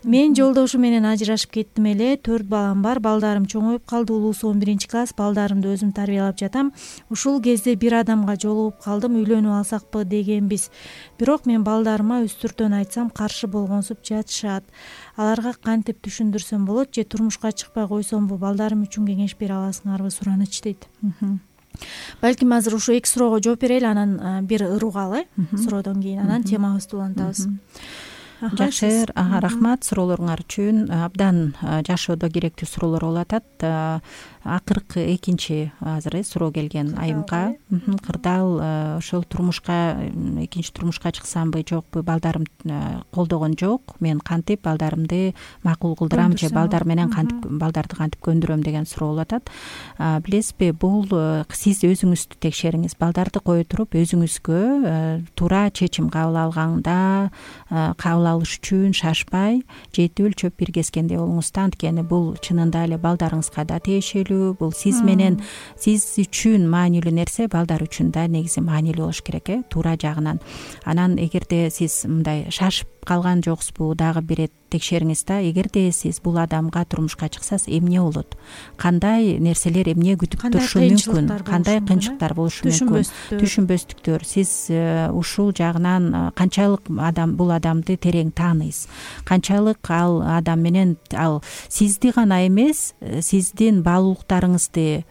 Мен жолдошум менен ажырашып кеттим эле. 4 балам бар. Балдарым чоңоюп калды. Улуусу 11-класс. Балдарымды өзүм тарбиялап жатам. Ушул кезде бир адамга жолугуп калдым. Үйлөнүп алсакпы дегенбиз. Бирок мен балдарыма үстүртөн айтсам каршы болгонсуп жатышат. Аларга кантип түшүндүрсөм болот же турмушка чыкпай койсомбу? Балдарым үчүн кеңеш бере аласыңарбы? Сураныч дейт. Балким азыр ушу 2 суроого жооп берели, анан бир ыругалы суроодон кийин анан темабызды улантабыз. Жакшы, рахмат суроолоруңар үчүн. Абдан жашоодо керектүү суроолор болуп атат. Акыркы экинчи азыр суроо келген айымга. Кырдаал ошол турмушка, экинчи турмушка чыксамбы жокпу, балдарым колдогон жок. Мен кантип балдарымды макул кылдырам же балдар менен балдарды кантип көндүрөм деген суроо болуп атат. Билесизби, бул сиз өзүңүздү текшериңиз. Балдарды кое туруп өзүңүзгө туура чечим кабыл алганда кабыл алыш үчүн шашпай, жети өлчөп бир кескендей болуңуз. Анткени бул чынында эле балдарыңызга да тиешелүү. Бул сиз менен, сиз үчүн маанилүү нерсе балдар үчүн да негизи маанилүү болуш керек, туура жагынан. Анан эгерде сиз мындай шашып калган жоксузбу, дагы бир ирет текшериңиз да. Эгерде сиз бул адамга турмушка чыксаңыз эмне болот? Кандай нерселер эмне күтүп турушу мүмкүн? Кандай кыйынчылыктар болушу мүмкүн? Түшүнбөстүктөр. Сиз ушул жагынан канчалык бул адамды терең тааныйсыз? Канчалык ал адам менен ал сизди гана эмес, сиздин баалуулуктарыңызды,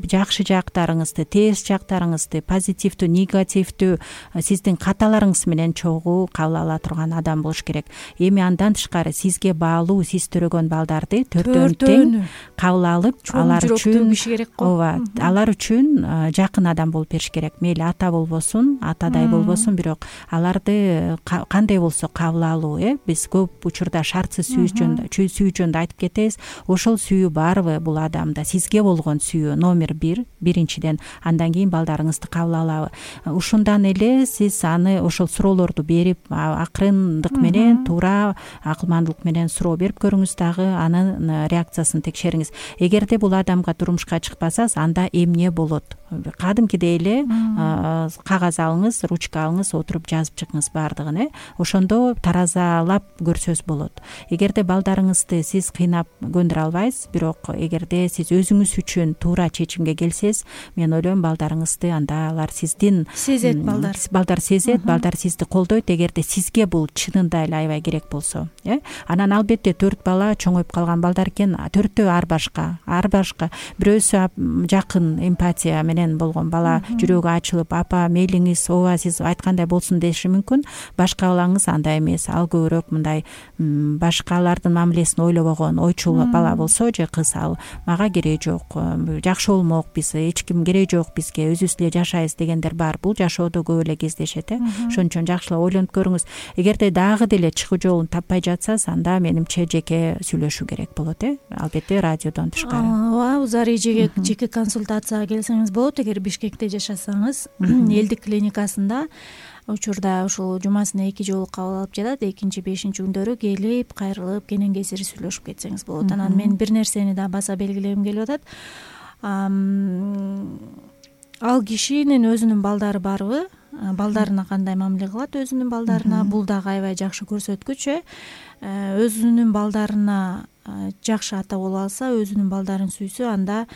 жакшы жактарыңызды, терс жактарыңызды, позитивдүү, негативдүү сиздин каталарыңыз менен чогуу кабыл ала турган адам болуш керек. Эми андан тышкары сизге баалуу, сиз төрөгөн балдарды төртөөн тең кабыл алып, алар үчүн ооба, алар үчүн жакын адам болуп бериш керек. Мейли ата болбосун, атадай болбосун, бирок аларды кандай болсо кабыл алуу, биз көп учурда шартсыз сүйүү жөнүндө айтып кетебиз. Ошол сүйүү барбы бул адамда? Сизге болгон сүйүү номер 1, биринчиден, андан кийин балдарыңызды кабыл алабы. Ушундан эле сиз аны ошол суроолорду берип, акырындык менен, туура акылмандуулук менен суроо берип көрүңүз, дагы анын реакциясын текшериңиз. Эгерде бул адамга турмушка чыкпасаңыз, анда эмне болот? Кадимкидей эле кагаз алыңыз, ручка алыңыз, отуруп жазып чыгыңыз баардыгын, ошондо таразалап көрсөз болот. Эгерде балдарыңызды сиз кыйнап көндүрө албайсыз, бирок эгерде сиз өзүңүз үчүн туура чечимге келсеңиз, мен ойлойм балдарыңызды анда алар сиздин сезет, балдар сезет, балдар сизди колдойт. Эгерде сизге бул чынында эле аябай керек болсо, анан албетте 4 бала чоңоюп калган балдар экен, 4төө ар башка. Бирөөсү жакын эмпатия менен болгон бала, жүрөгү ачылып, апа мейлиңиз, ооба сиз айткандай болсун деши мүмкүн. Башка балаңыз андай эмес, ал көбүрөөк мындай башкалардын мамилесин ойлобогон, ойчул бала болсо же кыз, ал мага кереги жок, жакшы болмок, биз эч ким кереги жок бизге, өзүбүз эле жашайбыз дегендер бар. Бул жашоодо көп эле кездешет. Ошон үчүн жакшылап ойлонуп көрүңүз. Эгерде дагы деле чыгуу жолун таппай жатсаңыз, анда менимче жеке сүйлөшүү керек болот. Албетте радиодон тышкары. Ооба, узар эжеге жеке консультацияга келсеңиз болот. Эгер Бишкекте жашасаңыз, элдик клиникасында учурда ушул жумасына 2 жолу кабыл алып жатат. 2-5 күндөрү келип, кайрылып, кенен кесири сүйлөшүп кетсеңиз болот. Анан мен бир нерсени да баса белгилегим келип атат. Ал кишинин өзүнүн балдары барбы? Балдарына кандай мамиле кылат өзүнүн балдарына? Бул дагы аябай жакшы көрсөткүч. Өзүнүн балдарына жакшы ата боло алса, өзүнүн балдарын сүйсө, анда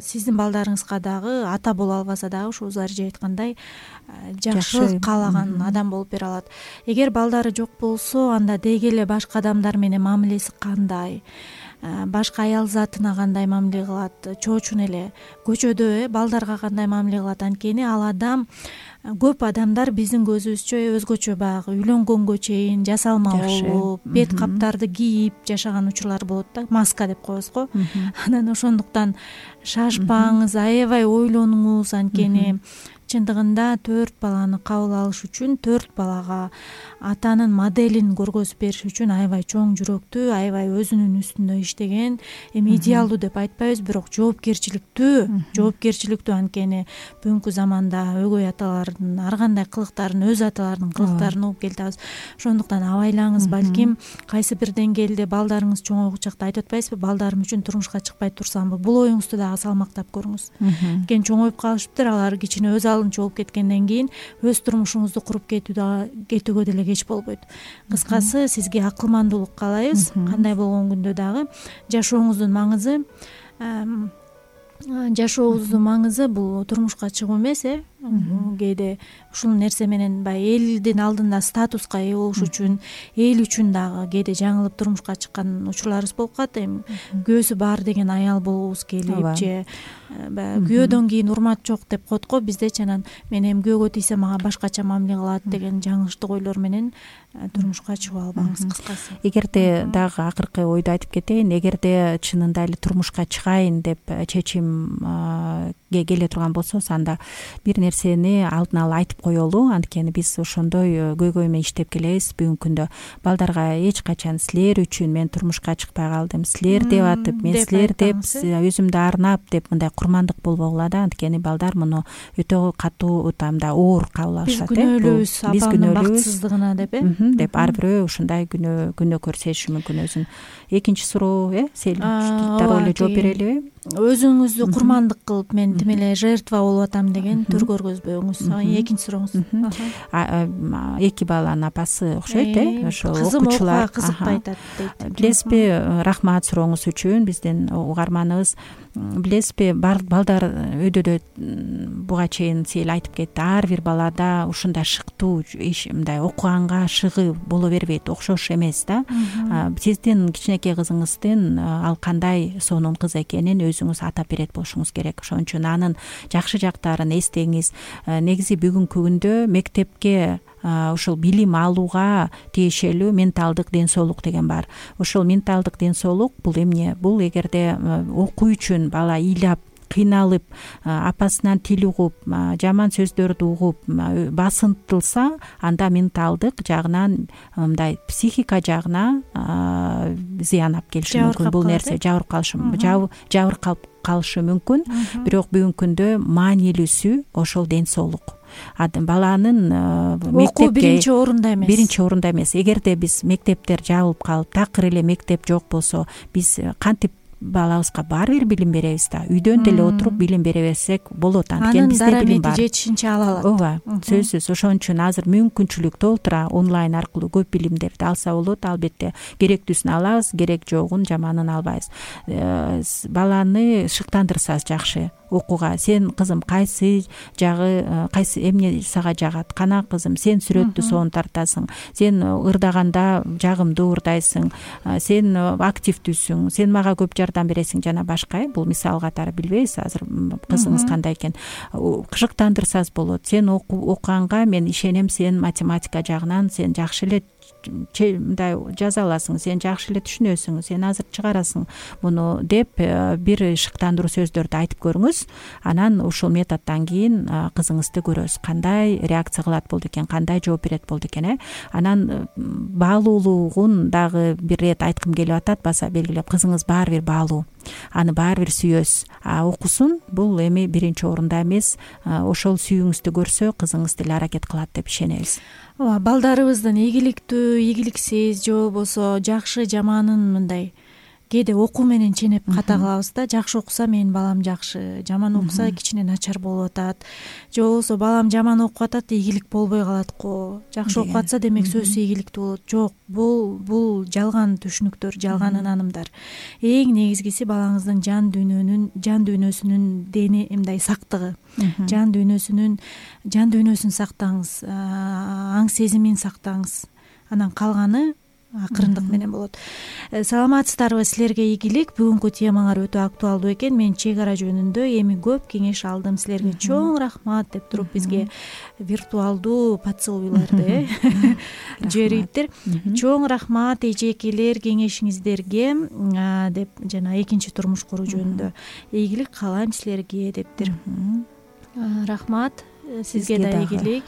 сиздин балдарыңызга дагы ата боло албаса дагы ушул Зарижа айткандай жакшы каалаган адам болуп бере алат. Эгер балдары жок болсо, анда деги эле башка адамдар менен мамилеси кандай? Башка аял затына кандай мамиле кылат? Чоочун эле көчөдө балдарга кандай мамиле кылат? Анткени ал адам, көп адамдар биздин көзүбүзчө өзгөчө баягы үйлөнгөнгө чейин жасалма болуп, бет каптарды кийип жашаган учурлар болот да, маска деп коебуз го. Анан ошондуктан шашпаңыз, аябай ойлонуңуз, анткени чындыгында 4 баланы кабыл алыш үчүн 4 балага атанын моделин көргөзүп бериш үчүн аябай чоң жүрөктүү, аябай өзүнүн үстүндө иштеген, эми идеалдуу деп айтпайбыз, бирок жоопкерчиликтүү анткени бүгүнкү заманда өгөй аталардын ар кандай кылыктарын өз аталарынын кылыктарын угуп келатабыз. Ошондуктан абайлаңыз, балким кайсы бир деңгээлде балдарыңыз чоңойгу чакта айтып атпайсызбы, балдарым үчүн турмушка чыкпай турсамбы, бул оюңузду дагы салмактап көрүңүз. Анткени чоңоюп калышыптыр, алар кичине өз алдынча болуп кеткенден кийин өз турмушуңузду куруп кетүүгө деле кеч болбойт. Кыскасы, сизге акылмандуулук каалайбыз. Кандай болгон күндө дагы жашооңуздун маңызы бул турмушка чыгуу эмес. Кээде ушул нерсе менен баягы элдин алдында статуска ээ болуш үчүн, эл үчүн дагы кээде жаңылып турмушка чыккан учурларыбыз болуп калат. Эми күйөөсү бар деген аял болгубуз келип же баягы күйөөдөн кийин урмат жок деп коет го биздечи. Анан мен эми күйөөгө тийсе мага башкача мамиле кылат деген жаңылыштык ойлор менен турмушка чыгып албаңыз. Кыскасы, эгерде дагы акыркы ойду айтып кетейин, эгерде чынында эле турмушка чыгайын деп чечимге келе турган болсоңуз, анда бир нерсени алдын ала айтып коелу. Анткени биз ошондой көйгөй менен иштеп келебиз. Бүгүнкү күндө балдарга эч качан силер үчүн мен турмушка чыкпай калдым, силер деп атып, мен силер деп өзүмдү арнап деп мындай курмандык болбогула да. Анткени балдар муну өтө катуу мындай оор кабыл алышат. Биз күнөөлүүбүз апамдын бакытсыздыгына деп ар бирөө ушундай күнөө көрсөтүшү мүмкүн өзүн. Экинчи суроо Туттарга эле жооп берелиби? Өзүңүздү курмандык кылып, мен тим эле жертва болуп атам деген түр көргөзбөңүз. Экинчи сурооңуз. Эки баланын апасы окшойт, ошо окуучулар кызыкпай атат дейт. Билесизби, рахмат сурооңуз үчүн, биздин угарманыбыз. Билесизби, балдар өйдөдө буга чейин сел айтып кетти, ар бир балада ушундай шыктуу мындай окуганга шыгы боло бербейт, окшош эмес да. Сиздин кичинекей кызыңыздын ал кандай сонун кыз экенин өзүңүз атап берет болушуңуз керек. Ошон үчүн анын жакшы жактарын эстеңиз. Негизи бүгүнкү күндө мектепке ушул билим алууга тиешелүү менталдык ден соолук деген бар. Ошол менталдык ден соолук бул эмне? Бул эгерде окуу үчүн бала ыйлап, кыйналып, апасынан тил угуп, жаман сөздөрдү угуп, басынтылса, анда менталдык жагынан, мындай психика жагына зыян алып келиши мүмкүн. Бул нерсе жабыркап калышы мүмкүн. Бирок бүгүнкү күндө маанилүүсү ошол ден соолук. Баланын окуу биринчи орунда эмес. Эгерде биз мектептер жабылып калып, такыр эле мектеп жок болсо, биз кантип балабызга баары бир билим беребиз да. Үйдөн деле отуруп билим бере берсек болот. Анткени бизде билим бар. Жетишинче ала алат. Ооба, сөзсүз. Ошон үчүн азыр мүмкүнчүлүк толтура онлайн аркылуу көп билимдерди алса болот. Албетте керектүүсүн алабыз, керек жогун, жаманын албайбыз. Баланы шыктандырсаңыз жакшы окууга. Сен кызым кайсы эмне сага жагат? Кана кызым, сен сүрөттү сонун тартасың, сен ырдаганда жагымдуу ырдайсың, сен активдүүсүң, сен мага көп жардам бересиң жана башка. Бул мисал катары, билбейбиз азыр кызыңыз кандай экен. Шыктандырсаңыз болот. Сен окуганга мен ишенем, сен математика жагынан сен жакшы эле мындай жаза аласың, сен жакшы эле түшүнөсүң, сен азыр чыгарасың муну деп бир шыктандыруу сөздөрдү айтып көрүңүз. Анан ушул методдон кийин кызыңызды көрөсүз, кандай реакция кылат болду экен, кандай жооп берет болду экен. Анан баалуулугун дагы бир рет айткым келип атат, баса белгилеп. Кызыңыз баары бир баалуу, аны баары бир сүйөсүз. Окусун, бул эми биринчи орунда эмес. Ошол сүйүүңүздү көрсө, кызыңыз деле аракет кылат деп ишенебиз. Балдарыбыздын ийгиликтүү, ийгиликсиз же болбосо жакшы жаманын мындай кээде окуу менен ченеп ката кылабыз да. Жакшы окуса менин балам жакшы, жаман окуса кичине начар болуп атат. Же болбосо балам жаман окуп атат, ийгилик болбой калат го. Жакшы окуп атса, демек сөзсүз ийгиликтүү болот. Жок, бул жалган түшүнүктөр, жалган ынанымдар. Эң негизгиси балаңыздын жан дүйнөсүнүн дени мындай сактыгы. Жан дүйнөсүн сактаңыз, аң сезимин сактаңыз. Анан калганы акырындык менен болот. Саламатсыздарбы, силерге ийгилик. Бүгүнкү темаңар өтө актуалдуу экен. Мен чек ара жөнүндө эми көп кеңеш алдым. Силерге чоң рахмат деп туруп бизге виртуалдуу поцелуйларды жибериптир. Чоң рахмат эжекелер кеңешиңиздерге деп жана экинчи турмуш куруу жөнүндө ийгилик каалайм силерге дептир. Рахмат. сизге да ийгилик.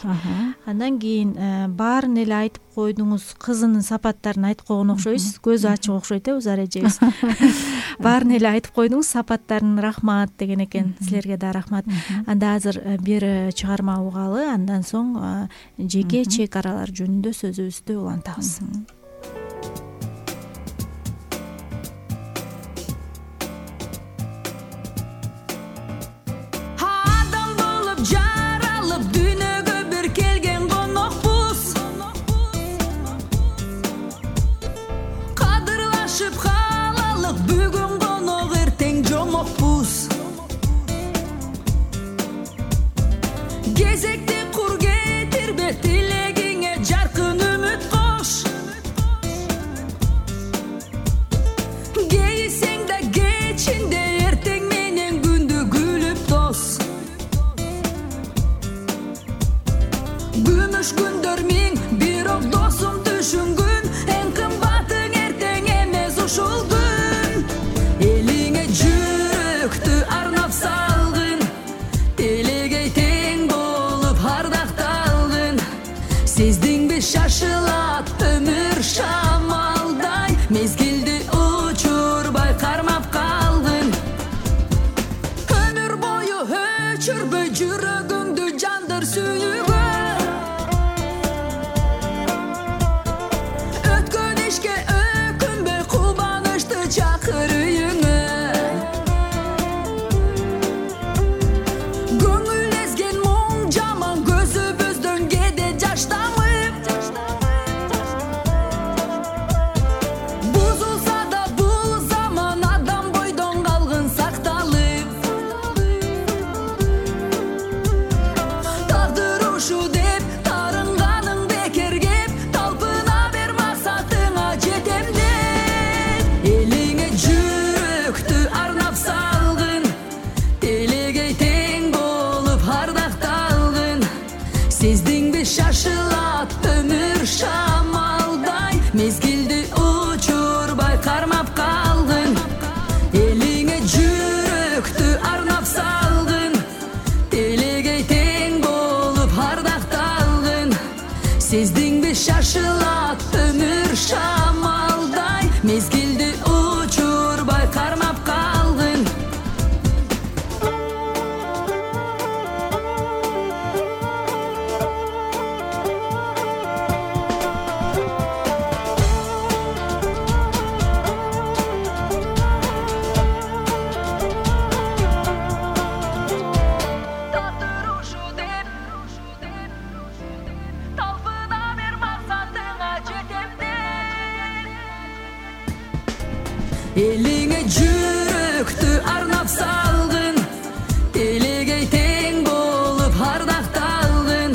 Андан кийин баарын эле айтып койдуңуз, кызынын сапаттарын айтып койгон окшойсуз. Көзү ачык окшойт узар эжебиз. Баарын эле айтып койдуңуз, сапаттарын рахмат деген экен. Силерге да рахмат. Анда азыр бир чыгарма угалы, андан соң жеке чек аралар жөнүндө сөзүбүздү улантабыз. Кезекти кур кетирбе, тилегиңе жаркын үмүт кош. Кейисең да кечинде, эртең менен күндү күлүп тос. Күмүш күндөр миң, бирок досум түшүнгүн, эң кымбатың эртең эмес ушул күн. Элиңе жүрөктү арнап салгын, телегей тең болуп ардакталгын. Сездиңби шашылат өмүр шамалдай, мезгилди учурбай кармап калгын. Өмүр бою өчүрбөй жүрөгүңдү жандыр сүйгөн. Өткөн ишке өкүнбөй, кубанычты чакыр үйүңө. Көңүл эзген моң жаман, көзүбүздөн кеде жаш тамып. Бузулса да бул заман, адам бойдон калгын сакталып. Тагдыр ушу деп тарынганың бекер кеп, талпына бер максатыңа жетем деп. Элиңе жүрөктү арнап салгын, телегей тең болуп ардакталгын. Сездиңби шашылат өмүр шамалдай, мезгилди учурбай кармап калгын. Элиңе жүрөктү арнап салгын, телегей тең болуп ардакталгын. Сездиңби шашылат өмүр шамалдай, мезгилди учурбай кармап калгын. Тагдыр ушу деп, талпына бер максатыңа жетем деп. Элиңе жүрөктү арнап салгын, телегей тең болуп ардакталгын.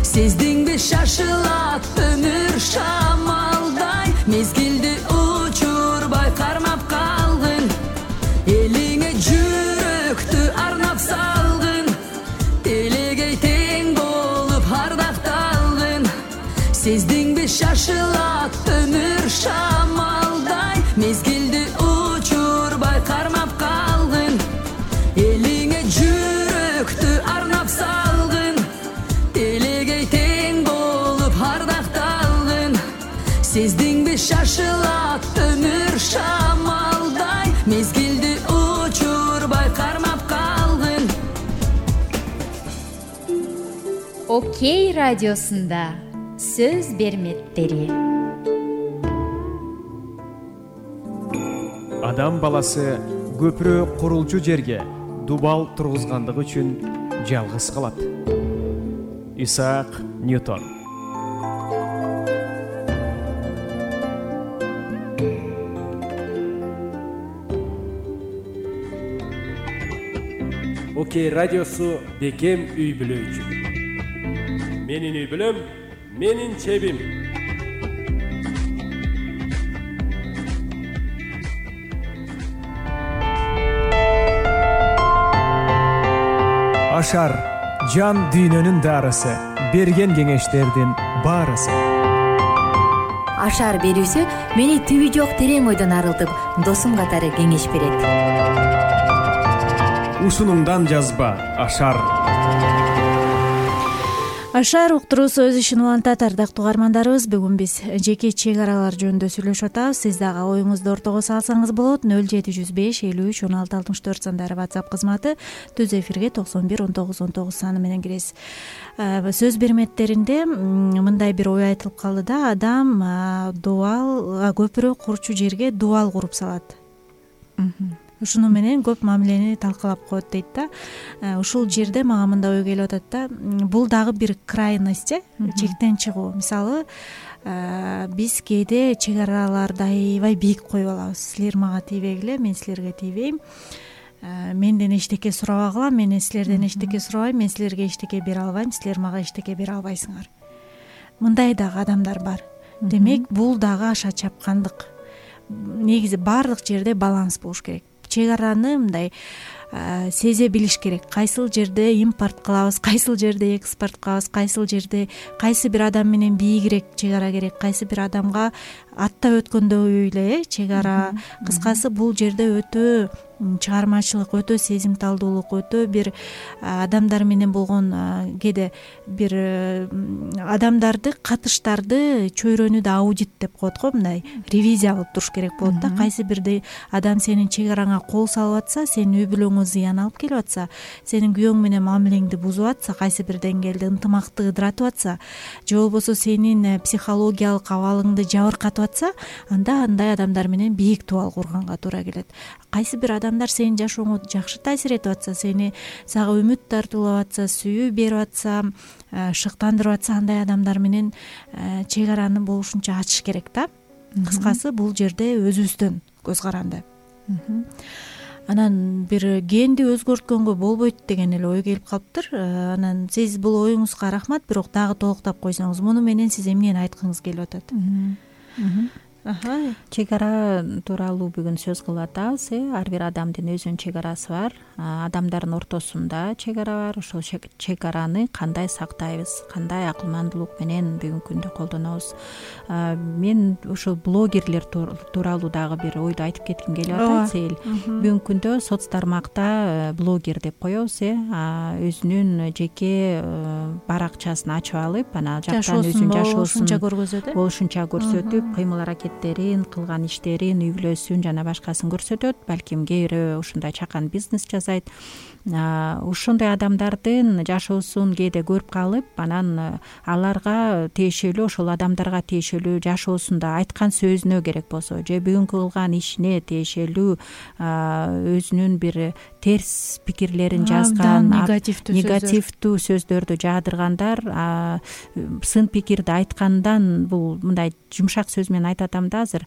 Сездиңби шашылат өмүр шамалдай, мезгилди учурбай кармап калгын. Элиңе жүрөктү арнап салгын, телегей тең болуп ардакталгын. Сездиңби шашылат өмүр шамалдай, мезгилди учурбай кармап калгын. Элиңе жүрөктү арнап салгын, телегей тең болуп ардакталгын. Сездиңби шашылат өмүр шамалдай, мезгилди учурбай кармап калгын. Окей радиосунда сөз берметтери. Адам баласы көпүрө курулчу жерге дубал тургузгандыгы үчүн жалгыз калат. Исаак Ньютон. Окей радиосу бекем үй бүлө үчүн. Менин үй бүлөм, менин чебим. Ашар жан дүйнөнүн дарысы, берген кеңештердин баарысы. Ашар берүүсү мени түбү жок терең ойдон арылтып, досум катары кеңеш берет. Ушунуңдан жазба Ашар. Ашар уктуруусу өз ишин улантат. Ардактуу угармандарыбыз, бүгүн биз жеке чек аралар жөнүндө сүйлөшүп атабыз. Сиз дагы оюңузду ортого салсаңыз болот. 0705 53 16 64 сандары WhatsApp кызматы, түз эфирге 91 19 19 саны менен киресиз. Сөз берметтеринде мындай бир ой айтылып калды да, адам дубал көпүрө курчу жерге дубал куруп салат. Ушуну менен көп мамилени талкалап коет дейт да. Ушул жерде мага мындай ой келип атат да, бул дагы бир крайность, чектен чыгуу. Мисалы, биз кээде чек араларды аябай бийик коюп алабыз. Силер мага тийбегиле, мен силерге тийбейм. Менден эчтеке сурабагыла, мен силерден эчтеке сурабайм, мен силерге эчтеке бере албайм, силер мага эчтеке бере албайсыңар. Мындай дагы адамдар бар. Демек, бул дагы аша чапкандык. Негизи баардык жерде баланс болуш керек. Чек араны мындай сезе билиш керек. Кайсыл жерде импорт кылабыз, кайсыл жерде экспорт кылабыз, кайсыл жерде кайсы бир адам менен бийигирээк чек ара керек, кайсы бир адамга аттап өткөндөй эле чек ара. Кыскасы, бул жерде өтө чыгармачылык, өтө сезимталдуулук, өтө бир адамдар менен болгон кээде бир адамдарды, катыштарды чөйрөнү да аудит деп коет го, мындай ревизия кылып туруш керек болот да. Кайсы бирде адам сенин чек араңа кол салып атса, сенин үй бүлөңө зыян алып келип атса, сенин күйөөң менен мамилеңди бузуп атса, кайсы бир деңгээлде ынтымакты ыдыратып атса, же болбосо сенин психологиялык абалыңды жабыркатып атса, анда андай адамдар менен бийик дубал курганга туура келет. Кайсы бир адамдар сенин жашооңо жакшы таасир этип атса, сага үмүт тартуулап атса, сүйүү берип атса, шыктандырып атса, андай адамдар менен чек араны болушунча ачыш керек да. Кыскасы, бул жерде өзүбүздөн көз каранды. Анан бир генди өзгөрткөнгө болбойт деген эле ой келип калыптыр. Анан сиз бул оюңузга рахмат, бирок дагы толуктап койсоңуз, муну менен сиз эмнени айткыңыз келип атат? Чек ара тууралуу бүгүн сөз кылып атабыз. Ар бир адамдын өзүнүн чек арасы бар. Адамдардын ортосунда чек ара бар. Ошол чек араны кандай сактайбыз, кандай акылмандуулук менен бүгүнкү күндө колдонобуз. Мен ушул блогерлер тууралуу дагы бир ойду айтып кетким келип атат. Сейил, бүгүнкү күндө соц тармакта блогер деп коебуз, өзүнүн жеке баракчасын ачып алып, анан жактан өзүнүн жашоосун болушунча көрсөтүп, кыймыл аракеттерин, кылган иштерин, үй бүлөсүн жана башкасын көрсөтөт. Балким кээ бирөө ушундай чакан бизнес жасайт. Ушундай адамдардын жашоосун кээде көрүп калып, анан аларга тиешелүү, ошол адамдарга тиешелүү жашоосунда айткан сөзүнө керек болсо, же бүгүнкү кылган ишине тиешелүү өзүнүн бир терс пикирлерин жазган, негативдүү сөздөрдү жаадыргандар, сын пикирди айткандан, бул мындай жумшак сөз менен айтатам да, азыр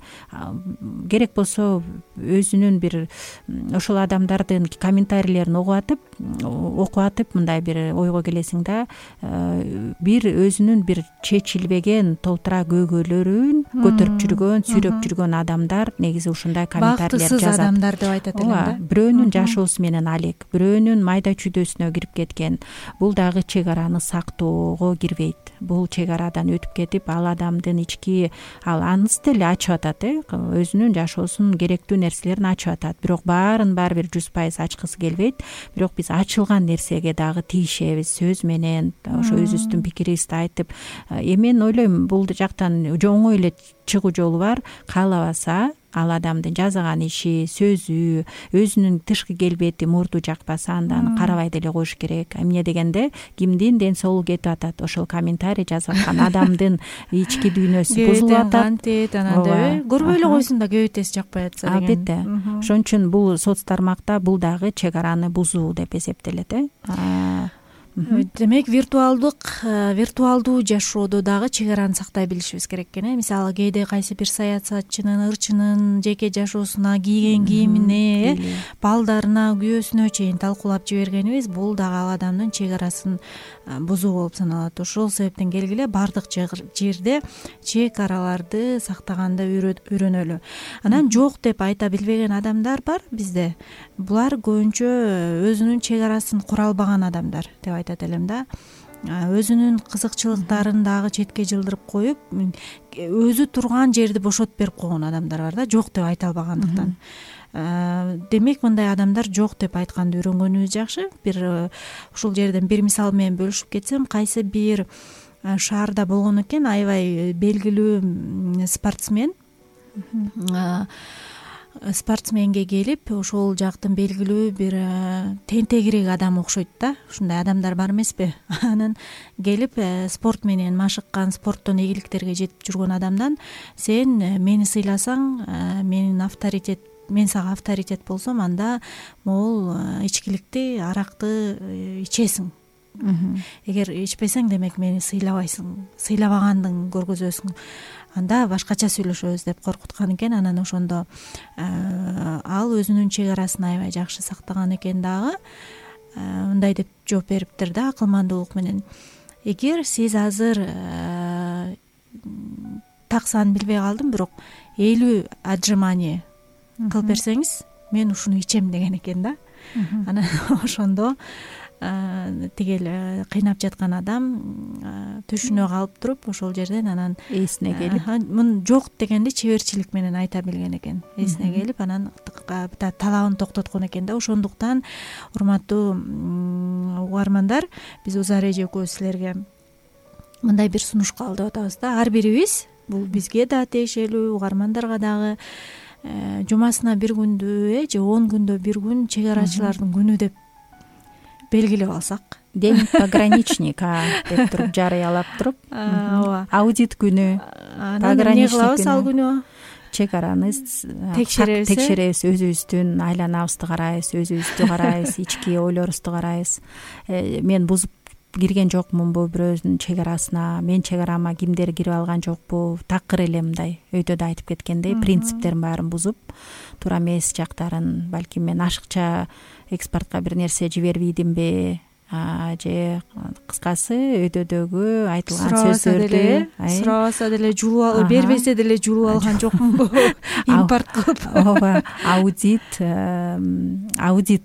керек болсо өзүнүн бир ошол адамдардын комментарийлерин окуп атып мындай бир ойго келесиң да, бир өзүнүн бир чечилбеген толтура көйгөйлөрүн көтөрүп жүргөн, сүйрөп жүргөн адамдар негизи ушундай комментарийлер жазат. Бактысыз адамдар деп айтат элем да. Бирөөнүн жашоосу менен алек, бирөөнүн майда чүйдөсүнө кирип кеткен. Бул дагы чек араны сактоого кирбейт. Бул чек арадан өтүп кетип, ал адамдын ички анысы деле ачып атат, өзүнүн жашоосунун керектүү нерселерин ачып атат. Бирок баарын баары бир 100% ачкысы келбейт. Бирок биз ачылган нерсеге дагы тийишебиз, сөз менен, ошо өзүбүздүн пикирибизди айтып. Мен ойлойм, бул жактан оңой эле чыгуу жолу бар. Каалабаса, ал адамдын жасаган иши, сөзү, өзүнүн тышкы келбети, мурду жакпаса, анда карабай деле коюш керек. Эмне дегенде, кимдин ден соолугу кетип атат, ошол комментарий жазып аткан адамдын ички дүйнөсү бузулуп атат. Анан көрбөй эле койсун да, кебетеси жакпай атса деген. Албетте. Ошон үчүн бул соц тармакта бул дагы чек араны бузуу деп эсептелет. Демек, виртуалдуу жашоодо дагы чек араны сактай билишибиз керек экен. Мисалы, кээде кайсы бир саясатчынын, ырчынын жеке жашоосуна, кийген кийимине, балдарына, күйөөсүнө чейин талкуулап жибергенибиз, бул дагы ал адамдын чек арасын бузуу болуп саналат. Ошол себептен келгиле баардык жерде чек араларды сактаганды үйрөнөлү. Анан жок деп айта билбеген адамдар бар бизде. Булар көбүнчө өзүнүн чек арасын кура албаган адамдар деп айтат элем да. Өзүнүн кызыкчылыктарын дагы четке жылдырып коюп, өзү турган жерди бошотуп берип койгон адамдар бар да, жок деп айта албагандыктан. демек мындай адамдар жок деп айтканды үйрөнгөнүбүз жакшы. Бир ушул жерден бир мисал менен бөлүшүп кетсем, кайсы бир шаарда болгон экен аябай белгилүү спортсменге келип, ошол жактын белгилүү бир тентегирээк адам окшойт да, ушундай адамдар бар эмеспи? Анан келип спорт менен машыккан, спорттон ийгиликтерге жетип жүргөн адамдан сен мени сыйласаң, мен сага авторитет болсом, анда могул ичкиликти, аракты ичесиң. Эгер ичпесең, демек мени сыйлабайсың, сыйлабагандыгың көргөзөсүң, анда башкача сүйлөшөбүз деп коркуткан экен. Анан ошондо ал өзүнүн чек арасын аябай жакшы сактаган экен дагы. Мындай деп жооп бериптир да акылмандуулук менен: эгер сиз азыр так санын билбей калдым, бирок 50 отжимание кылып берсеңиз, мен ушуну ичем деген экен да. Анан ошондо тигил кыйнап жаткан адам түшүнө калып туруп, ошол жерден анан эсине келип, мун жок дегенди чеберчилик менен айта билген экен. Эсине келип, анан талабын токтоткон экен да. Ошондуктан, урматтуу угармандар, биз Узар эже экөөбүз силерге мындай бир сунуш кабылдап атабыз да. Ар бирибиз, бул бизге да тиешелүү, угармандарга дагы, жумасына бир күндү же 10 күндө бир күн чек арачылардын күнү деп белгилеп алсак, день пограничника деп туруп жарыялап туруп, аудит күнү, пограничник күнү, ал күнү чек араны текшеребиз, өзүбүздүн айланабызды карайбыз, өзүбүздү карайбыз, ички ойлорубузду карайбыз. Мен бузуп кирген жокмунбу бирөөнүн чек арасына, мен чек арама кимдер кирип алган жокпу, такыр эле мындай өйдө да айтып кеткендей принциптерин баарын бузуп, туура эмес жактарын, балким мен ашыкча экспортко бир нерсе жибербейдимби, же кыскасы өйдөдөгү айтылган сөздөрдү сурабаса деле жулуп алып, бербесе деле жулуп алган жокмунбу импорт кылып, ооба, аудит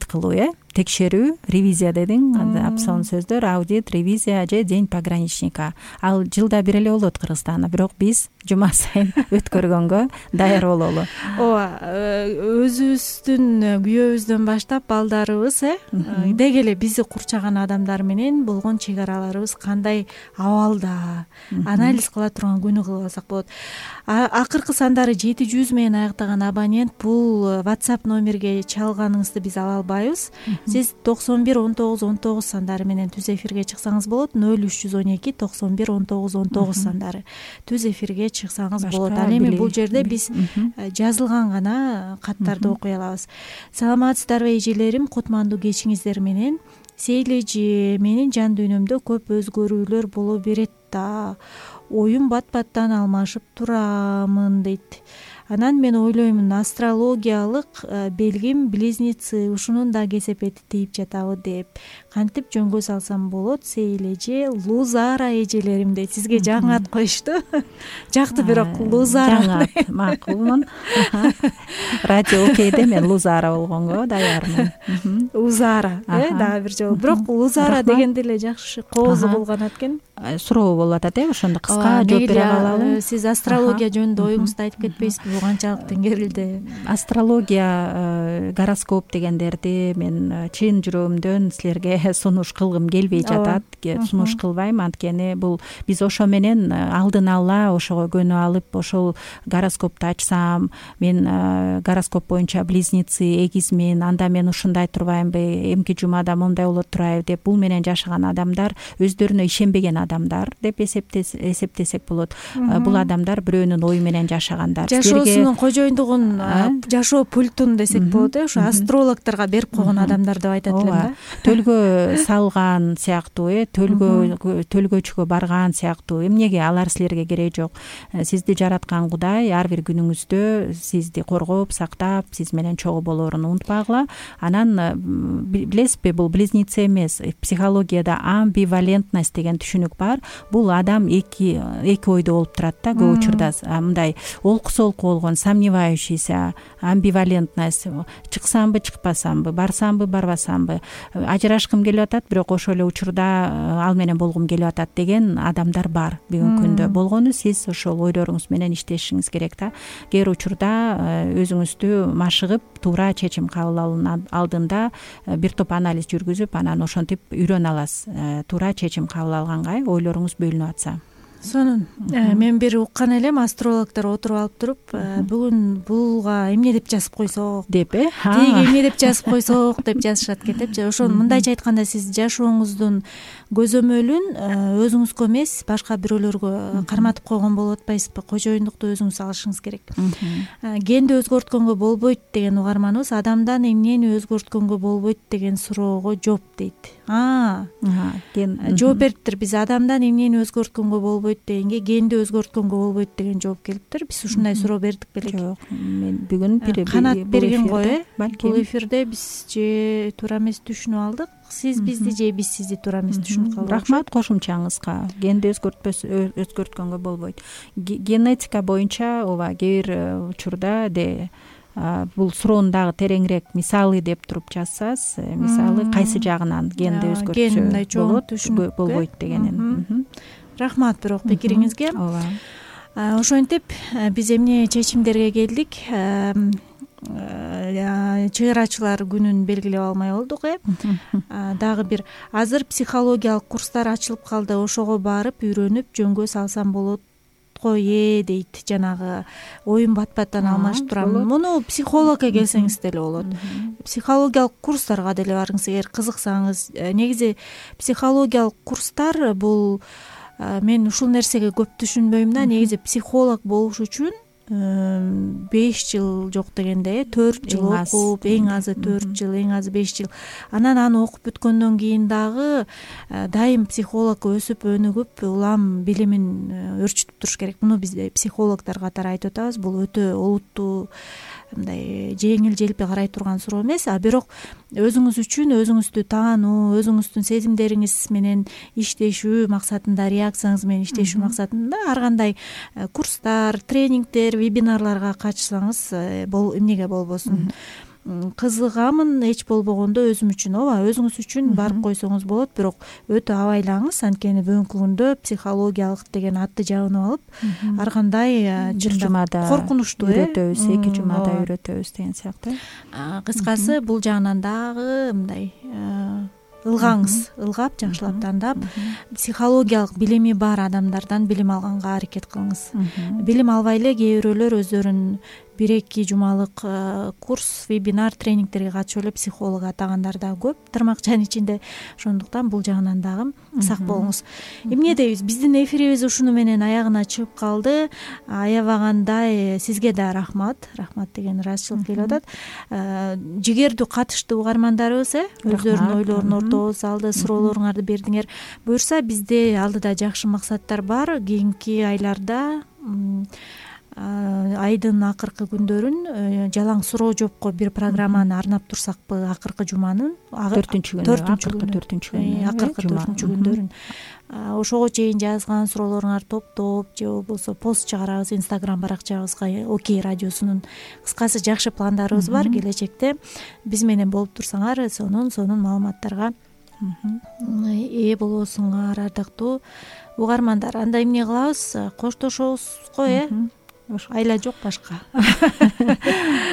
кылуу, текшерүү, ревизия дедиң, апсалын сөздөр, аудит, ревизия же день пограничника. Ал жылда бир эле болот Кыргызстанда, бирок биз жума сайын өткөргөнгө даяр бололу. Ооба, өзүбүздүн күйөөбүздөн баштап балдарыбыз, деги эле бизди курчаган адамдар менен болгон чек араларыбыз кандай абалда, анализ кыла турган күнү кылып алсак болот. Акыркы сандары 700 менен аяктаган абонент, бул WhatsApp номерге чалганыңызды биз ала албайбыз. Сиз 911919 сандары менен түз эфирге чыксаңыз болот. 0312 911919 сандары түз эфирге чыксаңыз болот. Ал эми бул жерде биз жазылган гана каттарды окуй алабыз. Саламатсыздарбы эжелерим, кутмандуу кечиңиздер менен. Сейли эже, менин жан дүйнөмдө көп өзгөрүүлөр боло берет да. Оюм бат-баттан алмашып турамын дейт. Анан мен ойлоймун, астрологиялык белгим близнецы, ушунун да кесепети тийип жатабы деп. Кантип жөнгө салсам болот, Сейил эже, Лузара эжелерим дейт. Сизге жаңы ат коюшту. Жакты, бирок Лузара. Жаңы ат, макулмун. Радио Окейде мен Лузара болгонго даярмын. Узара, дагы бир жолу. Бирок Лузара дегенде эле жакшы коозу болгон ат экен. Суроо болуп атат, ошондо кыска жооп бере калалы. Сиз астрология жөнүндө оюңузду айтып кетпейсизби? Бул канчалык теңгерилди? Астрология, гороскоп дегендерди мен чын жүрөгүмдөн силерге сунуш кылгым келбей жатат. Сунуш кылбайм, анткени бул биз ошо менен алдын ала ошого көнүп алып, ошол гороскопту ачсам, мен гороскоп боюнча близнецы, эгизмин, анда мен ушундай турбаймынбы, эмки жумада мондай болот турайбы деп бул менен жашаган адамдар өздөрүнө ишенбеген адамдар деп эсептесек болот. Бул адамдар бирөөнүн ою менен жашагандар. Жашоосунун кожоюндугун, жашоо пультун десек болот, ошо астрологторго берип койгон адамдар деп айтат элем да. Төлгө салган сыяктуу, төлгөчкө барган сыяктуу. Эмнеге алар силерге кереги жок. Сизди жараткан Кудай ар бир күнүңүздө сизди коргоп, сактап, сиз менен чогуу болоорун унутпагыла. Анан билесизби, бул близнецы эмес, психологияда амбивалентность деген түшүнүк бар. Бул адам эки ойдо болуп турат да, көп учурда мындай олку-солку болгон, сомневающийся, амбивалентность, чыксамбы, чыкпасамбы, барсамбы, барбасамбы, ажырашкым келип атат, бирок ошол эле учурда ал менен болгум келип атат деген адамдар бар бүгүнкү күндө. Болгону сиз ошол ойлоруңуз менен иштешиңиз керек да. Кээ бир учурда өзүңүздү машыгып туура чечим кабыл алуунун алдында бир топ анализ жүргүзүп, анан ошентип үйрөнө аласыз. Туура чечим кабыл алганга ойлоруңуз бөлүнүп атса. Сонун мен бир уккан элем, астрологдор отуруп алып туруп, бүгүн булга эмне деп жазып койсок деп, тиги эмне деп жазып койсок деп жазышат кетип. Ошону мындайча айтканда, сиз жашооңуздун көзөмөлүн өзүңүзгө эмес, башка бирөөлөргө карматып койгон болуп атпайсызбы? Кожоюндукту өзүңүз алышыңыз керек. Генди өзгөрткөнгө болбойт деген угарманыбыз адамдан эмнени өзгөрткөнгө болбойт деген суроого жооп дейт. Жооп бериптир. Биз адамдан эмнени өзгөрткөнгө болбойт дегенге генди өзгөрткөнгө болбойт деген жооп келиптир. Биз ушундай суроо бердик белек? Жок, мен бүгүн канат берген го. Бул эфирде биз же туура эмес түшүнүп алдык. Сиз бизди же биз сизди туура эмес түшүнүп калдык. Рахмат кошумчаңызга. Генди өзгөрткөнгө болбойт. Генетика боюнча ооба кээ бир учурда бул суроону дагы тереңирээк мисалы деп туруп жазсаңыз, мисалы кайсы жагынан генди өзгөртсө болбойт дегенин. Рахмат бирок пикириңизге. Ооба. Ошентип биз эмне чечимдерге келдик? Чыгыр ачылар күнүн белгилеп алмай болдук. Дагы бир азыр психологиялык курстар ачылып калды. Ошого барып үйрөнүп жөнгө салсам болот дейт. Жанагы оюн бат-баттан алмаштырам. Муну психологко келсеңиз деле болот. Психологиялык курстарга деле барыңыз эгер кызыксаңыз. Негизи психологиялык курстар бул, мен ушул нерсеге көп түшүнбөйм да. Негизи психолог болуш үчүн 5 жыл жок дегенде 4 жыл окуп, эң азы 4 жыл, эң азы 5 жыл. Анан аны окуп бүткөндөн кийин дагы дайым психолог өсүп өнүгүп, улам билимин өрчүтүп туруш керек. Муну биз психологдор катары айтып атабыз. Бул өтө олуттуу, мындай жеңил желпи карай турган суроо эмес. Бирок өзүңүз үчүн өзүңүздү таануу, өзүңүздүн сезимдериңиз менен иштешүү максатында, реакцияңыз менен иштешүү максатында ар кандай курстар, тренингдер, вебинарларга катышсаңыз эмнеге болбосун. Кызыгамын, эч болбогондо өзүм үчүн, ооба, өзүңүз үчүн барып койсоңуз болот. Бирок өтө абайлаңыз, анткени бүгүнкү күндө психологиялык деген атты жабынып алып, ар кандай коркунучтуу үйрөтөбүз, 2 жумада үйрөтөбүз деген сыяктуу. Кыскасы бул жагынан дагы мындай ылгаңыз, ылгап, жакшылап тандап, психологиялык билими бар адамдардан билим алганга аракет кылыңыз. Билим албай эле кээ бирөөлөр өздөрүн 1-2 жумалык курс, вебинар, тренингтерге катышып эле психолог атагандар да көп, тармакчанын ичинде. Ошондуктан бул жагынан дагы сак болуңуз. Эмне дейбиз? Биздин эфирибиз ушуну менен аягына чыгып калды. Аябагандай сизге да рахмат. Рахмат деген ыраазычылык келип атат. Жигердүү катышты угармандарыбыз, өздөрүнүн ойлорун ортого салды, суроолоруңарды бердиңер. Буюрса бизде алдыда жакшы максаттар бар. Кийинки айларда айдын акыркы күндөрүн жалаң суроо жоопко бир программаны арнап турсакпы? Акыркы жуманын 4-күндөрүн, акыркы 4-күндөрүн. Ошого чейин жазган суроолоруңарды топтоп же болбосо пост чыгарабыз Instagram баракчабызга, Окей радиосунун. Кыскасы жакшы пландарыбыз бар. Келечекте биз менен болуп турсаңар, сонун маалыматтарга ээ болосуңар, ардактуу угармандар. Анда эмне кылабыз? Коштошобузго, айла жок башка.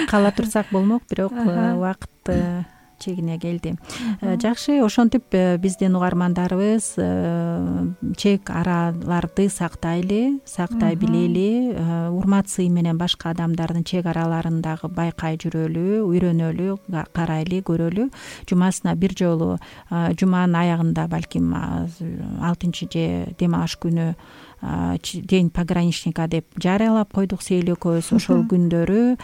Кала турсак болмок, бирок убакыт чегине келди. Жакшы, ошентип биздин угармандарыбыз чек араларды сактай билели, урмат сый менен башка адамдардын чек араларын дагы байкай жүрөлү, үйрөнөлү, карайлы, көрөлү. Жумасына бир жолу, жуманын аягында балким 6 же дем аш күнү день пограничника деп жарыялап койдук Сейил экөөбүз. Ошол күндөрү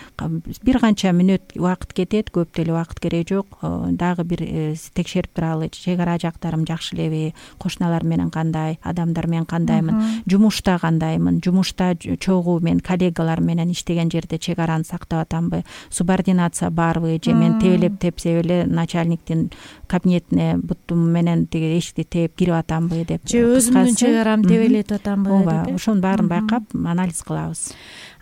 бир канча мүнөт убакыт кетет, көп деле убакыт кереги жок. Дагы бир текшерип туралы, чек ара жактарым жакшы элеби, кошуналар менен кандай, адамдар менен кандаймын, жумушта кандаймын, жумушта чогуу мен коллегалар менен иштеген жерде чек араны сактап атамбы, субординация барбы, же мен тебелеп тепсеп эле начальниктин кабинетине бутум менен тиги эшикти тээп кирип атамбы деп. Же өзүмдүн чек арамды тебелетип атамбы турганбы ооба, ошонун баарын байкап анализ кылабыз.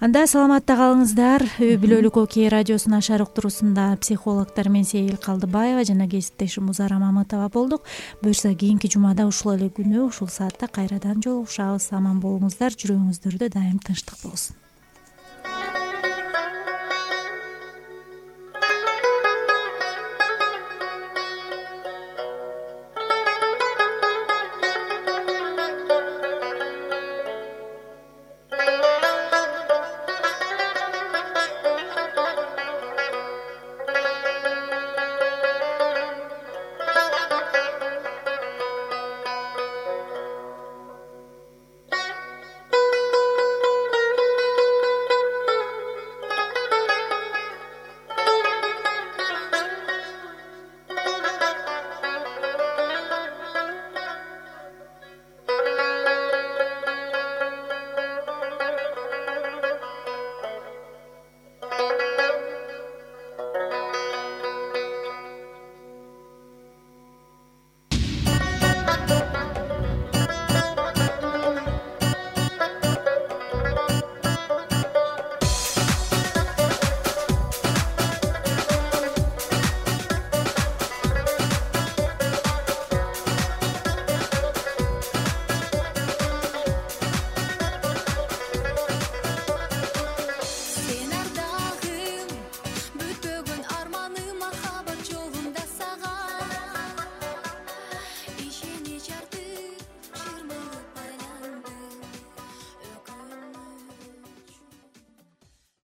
Анда саламатта калыңыздар. Үй бүлөлүк Окей радиосунун ашар уктуруусунда психологдор мен Сейил Калдыбаева жана кесиптешим Узара Мамытова болдук. Буюрса кийинки жумада ушул эле күнү ушул саатта кайрадан жолугушабыз. Аман болуңуздар, жүрөгүңүздөрдө дайым тынчтык болсун.